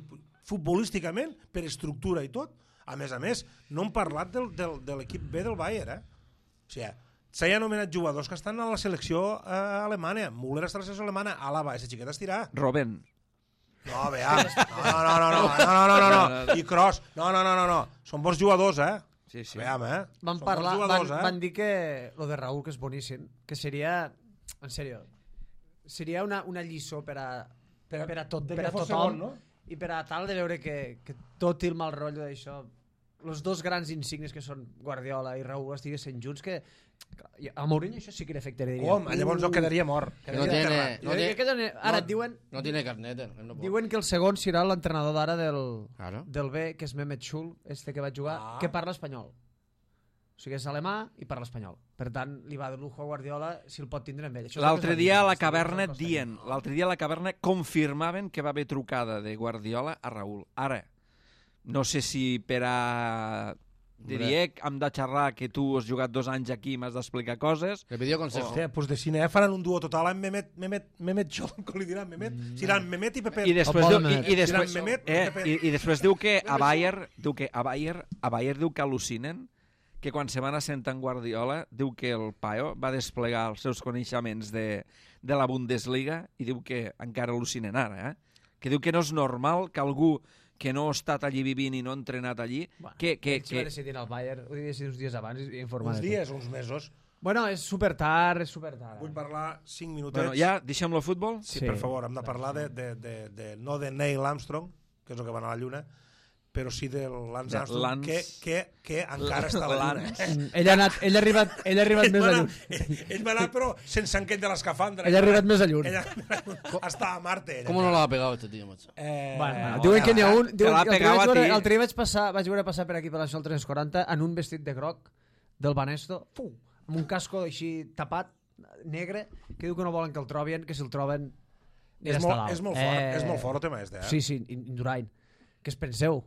futbolísticament, per estructura i tot, a més a més, no hem parlat del, del, de l'equip B del Bayern, eh? O sigui, s'ha anomenat jugadors que estan a la selecció eh, alemana. Müller està a la selecció alemana, Alaba, esa xiqueta estirà. Robben. No, vea, no, no, no, no, no, no, no, no, no, i Kroos, no, no, no, no, no, són bons jugadors, eh? Sí, sí. Veam, eh? Van Són parlar, bons van, jugadors, eh? van dir que lo de Raúl, que és boníssim, que seria, en sèrio, seria una, una lliçó per a, Per a- per a, tot, de per que a fos tothom, segon, no? i per a tal de veure que, que tot el mal rotllo d'això, els dos grans insignes que són Guardiola i Raúl estiguessin junts, que a Mourinho això sí que li afectaria. Home, llavors jo quedaria mort. No Quedaria tiene, enterrat. no Jo tiene, crec que doni- ara no, et diuen, no tiene carnet. él, él no puede. diuen que el segon serà l'entrenador d'ara del, Claro. del B, que és Mehmet Schul, este que va jugar, Ah. que parla espanyol. O sigui, és alemà i parla espanyol. Per tant, li va de lujo a Guardiola si el pot tindre amb ell. Això és el que L'altre es va dia dir. a la Està caverna dient, dient, l'altre dia a la caverna confirmaven que va haver trucada de Guardiola a Raúl. Ara, no sé si per a de dir, hem de xerrar que tu has jugat dos anys aquí i m'has d'explicar coses. Le pidió consejo. Hòstia, pues de cine faran un duo total amb Mehmet, Mehmet, Mehmet John, com li diran, Mehmet? Seran Mehmet i Pepe. I després, diu, i, i, Seran després, Mehmet, eh, Pepe. i, i després diu que a Bayer, diu que a Bayer, a Bayer diu que al·lucinen, que quan se van assentar en Guardiola, diu que el paio va desplegar els seus coneixements de, de la Bundesliga i diu que encara al·lucinen ara, eh? Que diu que no és normal que algú que no ha estat allí vivint i no ha entrenat allí, Bueno, que... que, ells que... va decidir al Bayern, ho devia decidir uns dies abans i informar Uns de tot. dies, uns mesos. Bueno, és super tard, és super tard. Vull parlar cinc minutets. Bueno, ja, deixem-lo futbol? Sí, Sí. per favor, hem de parlar de, de, de, de, no de Neil Armstrong, que és el que va anar a la Lluna, però sí de Lance De Armstrong, Lance- que, que, que encara està a la Lluna. Lance. Mm, Ell ha, anat, ell ha arribat, ell ha arribat Ell més va a anar- lluny. Ell, ell va anar, però sense enquet de l'escafandra. Ell ha arribat més a lluny. Ell està a Marte. ella. ¿Cómo no lo ha pegado este tío, macho? Eh, Bueno, bueno, no, diuen que n'hi ha un... Te Diuen, l'ha que el pegat vaig a veure, ti. l'altre dia vaig, passar, vaig veure passar per aquí per la Nacional tres quaranta en un vestit de groc del Banesto, fu, amb un casco així tapat, negre, que diu que no volen que el trobin, que si el troben... és, ja està molt, dalt. és molt fort, és molt fort el tema este, eh? Sí, sí, Indurain. Què es penseu?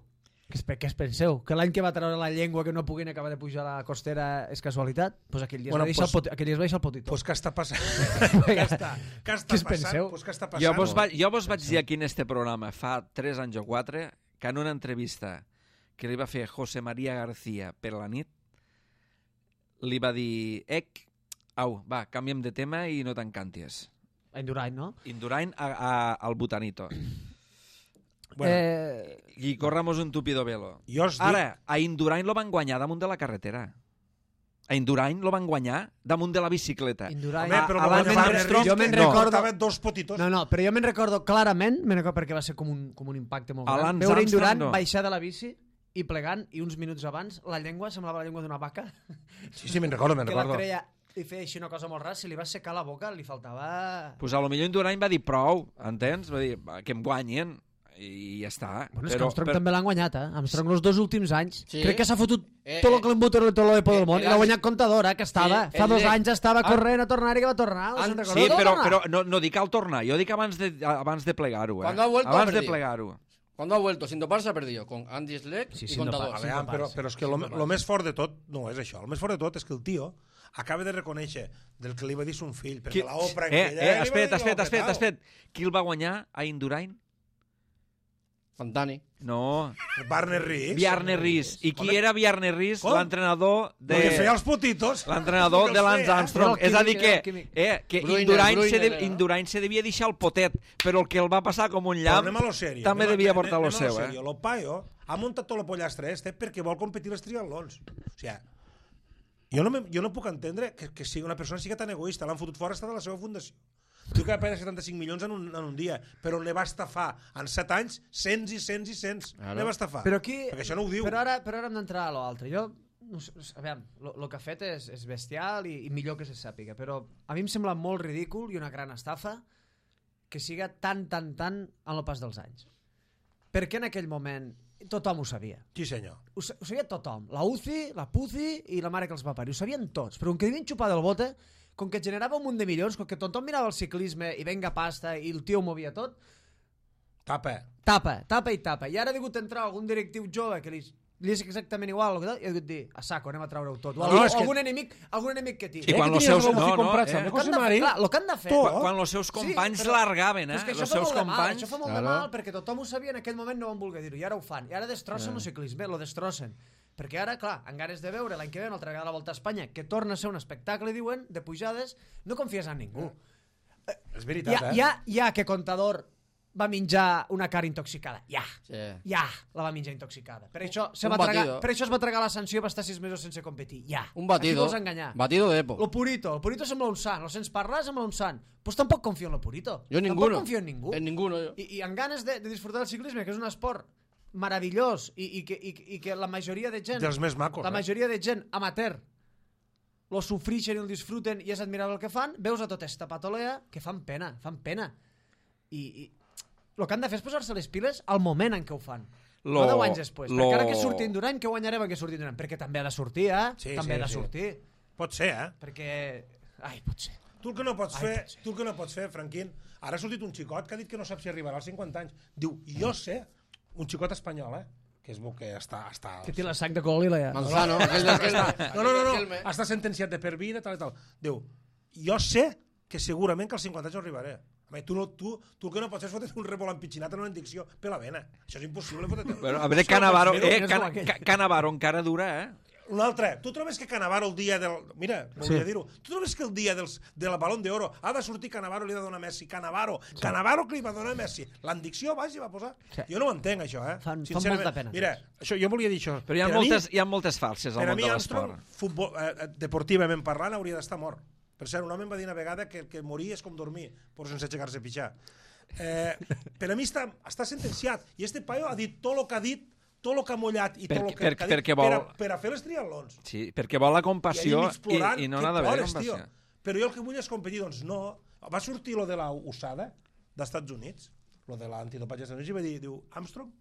Què es, què es penseu? Que l'any que va treure la llengua que no puguin acabar de pujar a la costera és casualitat? Pues aquell dia Bueno, es va deixar, pues- el, poti, aquell dia es va deixar el potito. Pues què està passant? què està, què està Què es passant? penseu? Pues què està passant? Jo vos, vaig, jo vos vaig dir aquí en este programa fa tres anys o quatre que en una entrevista que li va fer José María García per la nit li va dir Ec, au, va, canviem de tema i no t'encanties. Indurain, no? Indurain a, a, al Butanito. Bueno, eh, I corramos un tupido velo. jo us dic... Ara, a Indurain lo van guanyar damunt de la carretera. A Indurain lo van guanyar damunt de la bicicleta. Indurain... Home, a- però a no Lance guanyava Armstrong, Nerris, jo me'n que recordo- portava dos potitos. No, no, però jo me'n recordo clarament, me'n recordo perquè va ser com un, com un impacte molt A gran. Lance Veure Armstrong, Indurain no. baixar de la bici i plegant, i uns minuts abans la llengua semblava la llengua d'una vaca, Sí, sí, me'n recordo, me'n que la recordo. treia i feia així una cosa molt rara, si li va secar la boca li faltava... Pues a lo millor Indurain va dir prou, entens? Va dir "Va, que em guanyen i ja està. Bueno, és que Armstrong també l'han guanyat, eh? Armstrong els dos últims anys. Sí. Crec que s'ha fotut Eh, tot el eh, clenbuter i tot el por del món eh, i l'ha guanyat Contador, eh, que estava. Sí, Fa el dos de- anys estava Ah. corrent a tornar i que va tornar. Ah, Us en Sí, recordeu que va però, tornar? però no, no dic al tornar, jo dic abans de, abans de plegar-ho. Eh? Cuando ha vuelto, abans ha de perdido. plegar-ho. Cuando ha vuelto, sin doparse ha perdido, con Andy Schleck Sí, y sin Contador. dopar, A veure, però, però és que el Sí, més fort de tot no és això. El més fort de tot és que el tio acaba de reconèixer del que li va dir son fill, perquè Qui... la Oprah... Eh, aquella, eh, li va espera't, dir espera't, que espera't, l'ha espera't. Qui el va guanyar a Indurain? Fantani. No, petat. Barney Riggs. Bjarne Ries. I qui Home, era Bjarne Ries? Com? L'entrenador el que feia de... els potitos. L'entrenador Que de els Lance feia. Armstrong. Era el És a dir químic, que, era el químic. eh, que Bruiner, Indurain, se Bruiner de, era. Indurain se devia deixar el potet, però el que el va passar com un Però llamp anem a lo serio. també anem a- devia anem- portar lo anem a seu. serio. Eh? Lo paio ha muntat tot el pollastre este perquè vol competir els triatlons. O sigui, jo no, me, jo no puc entendre que, que sigui una persona sigui tan egoista. L'han fotut fora, està de la seva fundació. Diu que va perdre setanta-cinc milions en un, en un dia, però ne va estafar en set anys cents i cents i cents. Claro. Ne va estafar. Però aquí... Perquè això no ho diu. Però ara, però ara hem d'entrar a l'altre. Jo, no sé, a veure, el que ha fet és, és bestial i, i millor que se sàpiga, però a mi em sembla molt ridícul i una gran estafa que siga tan, tan, tan en el pas dels anys. Perquè en aquell moment tothom ho sabia. Sí, senyor. Ho, sa- ho sabia tothom. La U C I, la P U C I i la mare que els va parir. Ho sabien tots. Però com que devien xupar del bote, com que generava un munt de milions, com que tothom mirava el ciclisme i venga pasta i el tio ho movia tot, Tapa. tapa, tapa i tapa. I ara ha hagut entrar algun directiu jove que li, li és exactament igual, i ha hagut dir, a saco, anem a treure-ho tot. O No, algú, és que- algun, enemic, algun enemic que tingui. I quan que els tenies seus... algú No, que no, comprat, eh? sabe? El que han de José fer, Mari, clar, el que han de fer... tu, Quan, quan els seus companys però- largaven, però eh? és que això Els fa seus molt de mal, companys... això fa molt de Claro. mal, perquè tothom ho sabia, en aquell moment no van voler dir-ho, i ara ho fan. I ara destrossen el ciclisme, lo destrossen. Perquè ara, clar, en ganes de veure l'any que ve una altra vegada la Volta a Espanya, que torna a ser un espectacle, diuen, de pujades, no confies en ningú. És veritat, Ja, eh? ja, ja que Contador va menjar una cara intoxicada. Ja. Sí. Ja la va menjar intoxicada. Per això, se Un va tragar, batido. per això es va tragar la sanció i va estar sis mesos sense competir. Ja. Un Aquí batido. vols enganyar. Batido de Epo. Lo Purito. El Purito sembla un sant. Lo sents parlar, sembla un sant. Pues tampoc confio en lo Purito. Yo Tampoc ninguno. confio en ningú. En ninguno yo. I, i en ganes de, de disfrutar del ciclisme, que és un esport meravellós i, i, que, i, i que la majoria de gent... Dels més macos. La eh? majoria de gent amateur lo sofrixen i el disfruten i és admirable el que fan, veus a tota esta patolea que fan pena, fan pena. I, i el que han de fer és posar-se les piles al moment en què ho fan. Lo- No deu anys després. lo- Perquè ara que surti Indurain, que guanyarem que surti Indurain? Perquè també ha de sortir, eh? Sí, també sí, ha de sí. sortir. Pot ser, eh? Perquè... Ai, pot ser. Tu el que no pots Ai, fer, pot ser. tu el que no pots fer, Franquín, ara ha sortit un xicot que ha dit que no sap si arribarà als cinquanta anys. Diu, jo sé, un xicot espanyol, eh? que es veu que està... està Que té la sac de color lila, ja. Manzano, aquell del Kelme. no, no, no, no, està sentenciat de per vida, tal i tal. Diu, jo sé que segurament que als cinquanta anys arribaré. Home, tu, no, tu, tu el que no pots fer és fotre un rebolant pitxinat en una indicció per la vena. Això és impossible. Bueno, a veure, Cannavaro, eh, Can, Cannavaro encara dura, eh? Un altre. Tu trobes que Cannavaro el dia del... Mira, volia sí. dir-ho. Tu trobes que el dia dels, de la Balón d'Oro ha de sortir Cannavaro i li ha de donar Messi. Cannavaro. Sí. Cannavaro que li va donar Messi. L'endicció baix i va posar... Sí. Jo no ho entenc, això, eh? Fan, fan molta pena. Mira, això, jo volia dir això. Però hi ha, moltes, mi, hi ha moltes falses al món de l'esport. Futbol, eh, deportivament parlant, hauria d'estar mort. Per cert, un home em va dir una vegada que, que morir és com dormir, però sense aixecar-se a pitjar. Eh, per a mi està, està sentenciat. I este paio ha dit tot el que ha dit, tot el que ha mullat i tot el que, per, que ha dit vol... per, a, per a fer les triatlons. Sí, perquè vol la compassió i, plorant, i, i no n'ha d'haver compassió. Tio. Però jo el que vull és competir, doncs no. Va sortir lo de la U S A D A d'Estats Units, lo de l'antidopatge d'Estats Units, i va dir, diu, Armstrong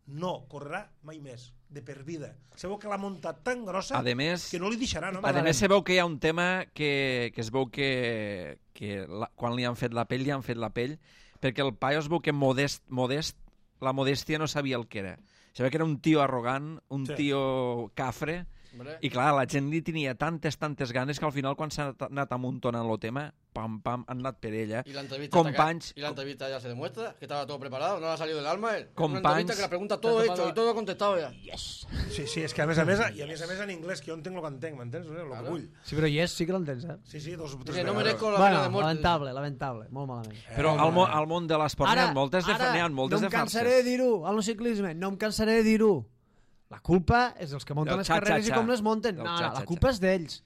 no correrà mai més, de per vida. Se veu que l'ha muntat tan grossa més, que no li deixarà. No? A més, se veu que hi ha un tema que, que es veu que, que la, quan li han fet la pell, li han fet la pell, perquè el paio es veu que modest, modest, la modèstia no sabia el que era. Se ve que era un tio arrogant, un sí. tio cafre, Hombre. I clar, la gent li tenia tantes, tantes ganes que al final, quan s'ha anat amuntonant el tema, pam, pam, han anat per ella. Y la entrevista, Companys... y la entrevista ya se demuestra que estaba todo preparado, no le ha salido del alma. Él. Companys... Una entrevista que la pregunta todo hecho y todo contestado ya. Yes. Sí, sí, és que a més a més, i a més a més en anglès, que jo entenc el que entenc, m'entens? El que vull. Sí, però yes, sí que l'entens, eh? Sí, sí, dos o tres vegades. No merezco la bueno, pena de muerte. lamentable, lamentable, molt malament. Eh, Però al, mo al món de l'esport n'hi ha moltes de, ara, ha moltes no de farses. No em cansaré de dir-ho, al ciclisme, no em cansaré de dir-ho. La culpa és dels que munten les carreres i com les munten. No, no, la culpa és d'ells.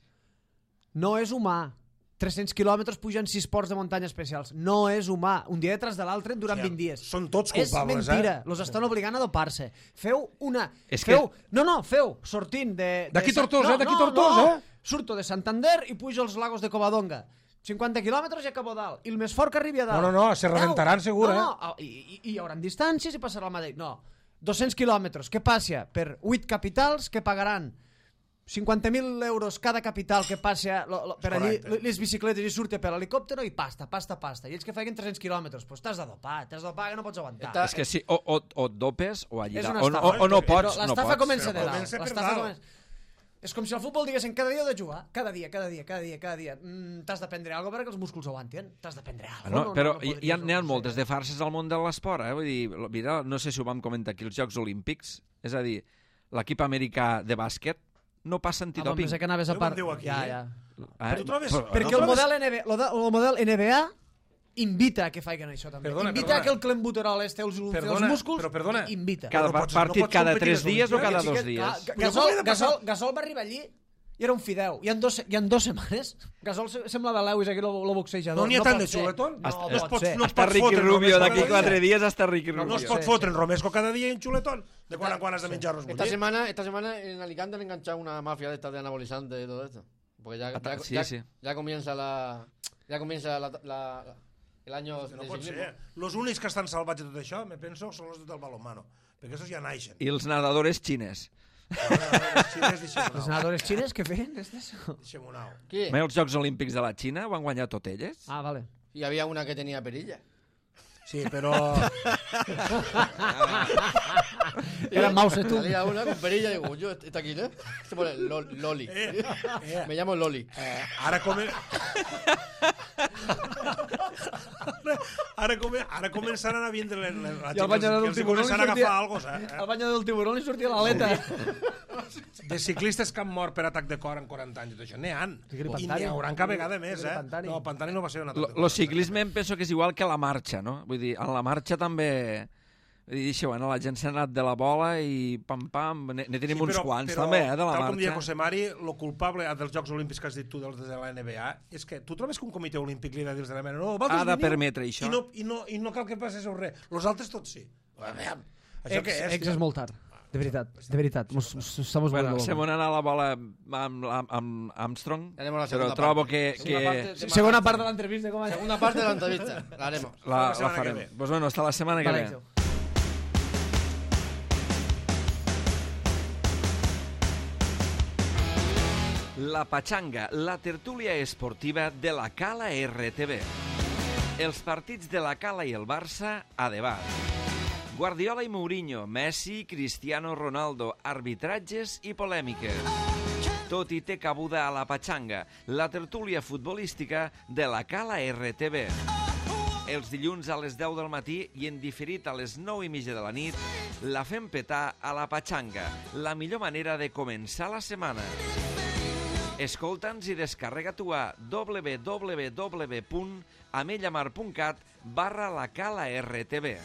No és humà. tres-cents quilòmetres pugen sis ports de muntanya especials. No és humà. Un dia detrás de l'altre durant vint dies. Són tots culpables, és mentira. eh? Los estan obligant a dopar-se. Feu una... És feu... que... No, no, feu, sortint de... D'aquí Tortosa, no, d'aquí no, Tortosa, no. eh? Surto de Santander i pujo als lagos de Covadonga. cinquanta quilòmetres i acabo dalt. I el més fort que arribi a dalt. No, no, no, se rebentaran segur, no, no, eh? I, i, I hi haurà distàncies i passarà el mateix. No, dos-cents quilòmetres. Què passa? Per vuit capitals que pagaran cinquanta mil euros cada capital que passa lo, lo, per allí, les bicicletes i surte per l'helicòptero i pasta, pasta, pasta. I ells que facin tres-cents quilòmetres, doncs t'has de dopar, t'has de dopar que no pots aguantar. És que sí, o, o, o et dopes o allà, o, o, o no pots, no l'estafa pots. comença de dalt. L'estafa comença... És com si al futbol diguessin cada dia heu de jugar, cada dia, cada dia, cada dia, cada dia. Mm, t'has de prendre alguna cosa perquè els músculs aguantin. T'has de prendre alguna cosa. No, no, però no, no hi ha, n'hi ha moltes de farses al món de l'esport, eh? Vull dir, mira, no sé si ho vam comentar aquí, els Jocs Olímpics, és a dir, l'equip americà de bàsquet no passa antidoping. Ah, pensé que anaves a part... Aquí, ja, eh? ja. Eh? Tu trobes... Però, perquè no el, trobes... model N B A, el model N B A invita a que facin això també. Perdona, invita perdona. a que el clenbuterol este els, Perdona, els músculs, però perdona. invita. Cada no pots- partit no pots cada competir tres les dies o Olimpiades. cada Sí dos que- dies? Ga- Però Gasol, com li ha de passar? Gasol, Gasol va arribar allí i era un fideu. I en dos, i en dos setmanes Gasol se- semblava Lewis aquí, el, el boxejador. No n'hi ha tant pot de ser. xuletón? No, No no es pot pot- ser. no es Hasta pot Ricky fotre Rubio només d'aquí cada quatre dia. dies, hasta Ricky No, Rubio. no es pot fotre en Romesco cada dia i en xuletón. De quan en quan has de menjar arròs Esta bullit. semana, esta semana en Alicante han enganchado una mafia de estas de anabolizantes y todo esto. Porque ya, ya, Sí, ya, sí. ya comienza la ya comienza la, la, el año No de pot ciclismo. ser. Els únics que estan salvats de tot això, me penso, són els del balonmano. Perquè aquests ja naixen. I els nedadores xines. Els xines, Els deixem-ho nedadores xines, què feien? Deixem-ho anar. ¿Qué? Mai els Jocs Olímpics de la Xina ho han guanyat tot elles? Ah, vale. Y había una que tenía perilla. Sí, però... Era Mao Zedong. Salía una con perilla y digo, yo, ¿está aquí, no? Se pone Lo- Loli. Eh, eh, Me llamo Loli. eh, ara come... ara, come... ara començaran a vindre la, la, la I al banyador del tiburón li començaran a sortia... agafar algo, eh? Al banyador del tiburón li sortia l'aleta. De ciclistes que han mort per atac de cor en quaranta anys i tot això, n'hi han. Tigre I Pantani. n'hi hauran cada vegada més, Tigre eh? Pantani. No, Pantani no va ser un atac Lo, de cor. lo ciclisme em penso que és igual que la marxa, no? Vull dir, en la marxa també... Vull dir, això, bueno, la gent s'ha anat de la bola i pam-pam, ne, ne tenim Sí, uns però- quants però, també, eh, de la tal com deia marxa. José Mari, lo culpable dels Jocs Olímpics que has dit tu dels de la N B A és que tu trobes que un comitè olímpic li ha de dir de la mena no, Ha de permetre això. I no, i no, i no cal que passi res. Los altres tots sí. A veure, això Ex, què és? ex és molt tard. De veritat, de veritat. Mos, mos, estamos Bueno, volviendo se locos. m'ha anat la bola amb, amb, amb Armstrong, Tenemos la però segunda trobo parte. que, Segunda que parte de Segona Manhattan. part de l'entrevista, com a... Segunda parte de la entrevista. La haremos. la, La la setmana que farem. ve. Pues bueno, hasta la setmana que Vale, ve. Àngel. La Pachanga, la tertúlia esportiva de la Cala R T V. Els partits de la Cala i el Barça a debat. Guardiola i Mourinho, Messi, Cristiano Ronaldo, arbitratges i polèmiques. Tot i té cabuda a la Patxanga, la tertúlia futbolística de la Cala R T V. Els dilluns a les deu del matí i en diferit a les nou i mitja de la nit, la fem petar a la Patxanga, la millor manera de començar la setmana. Escolta'ns i descarrega tu a www punt amellamar punt cat barra la Cala R T V.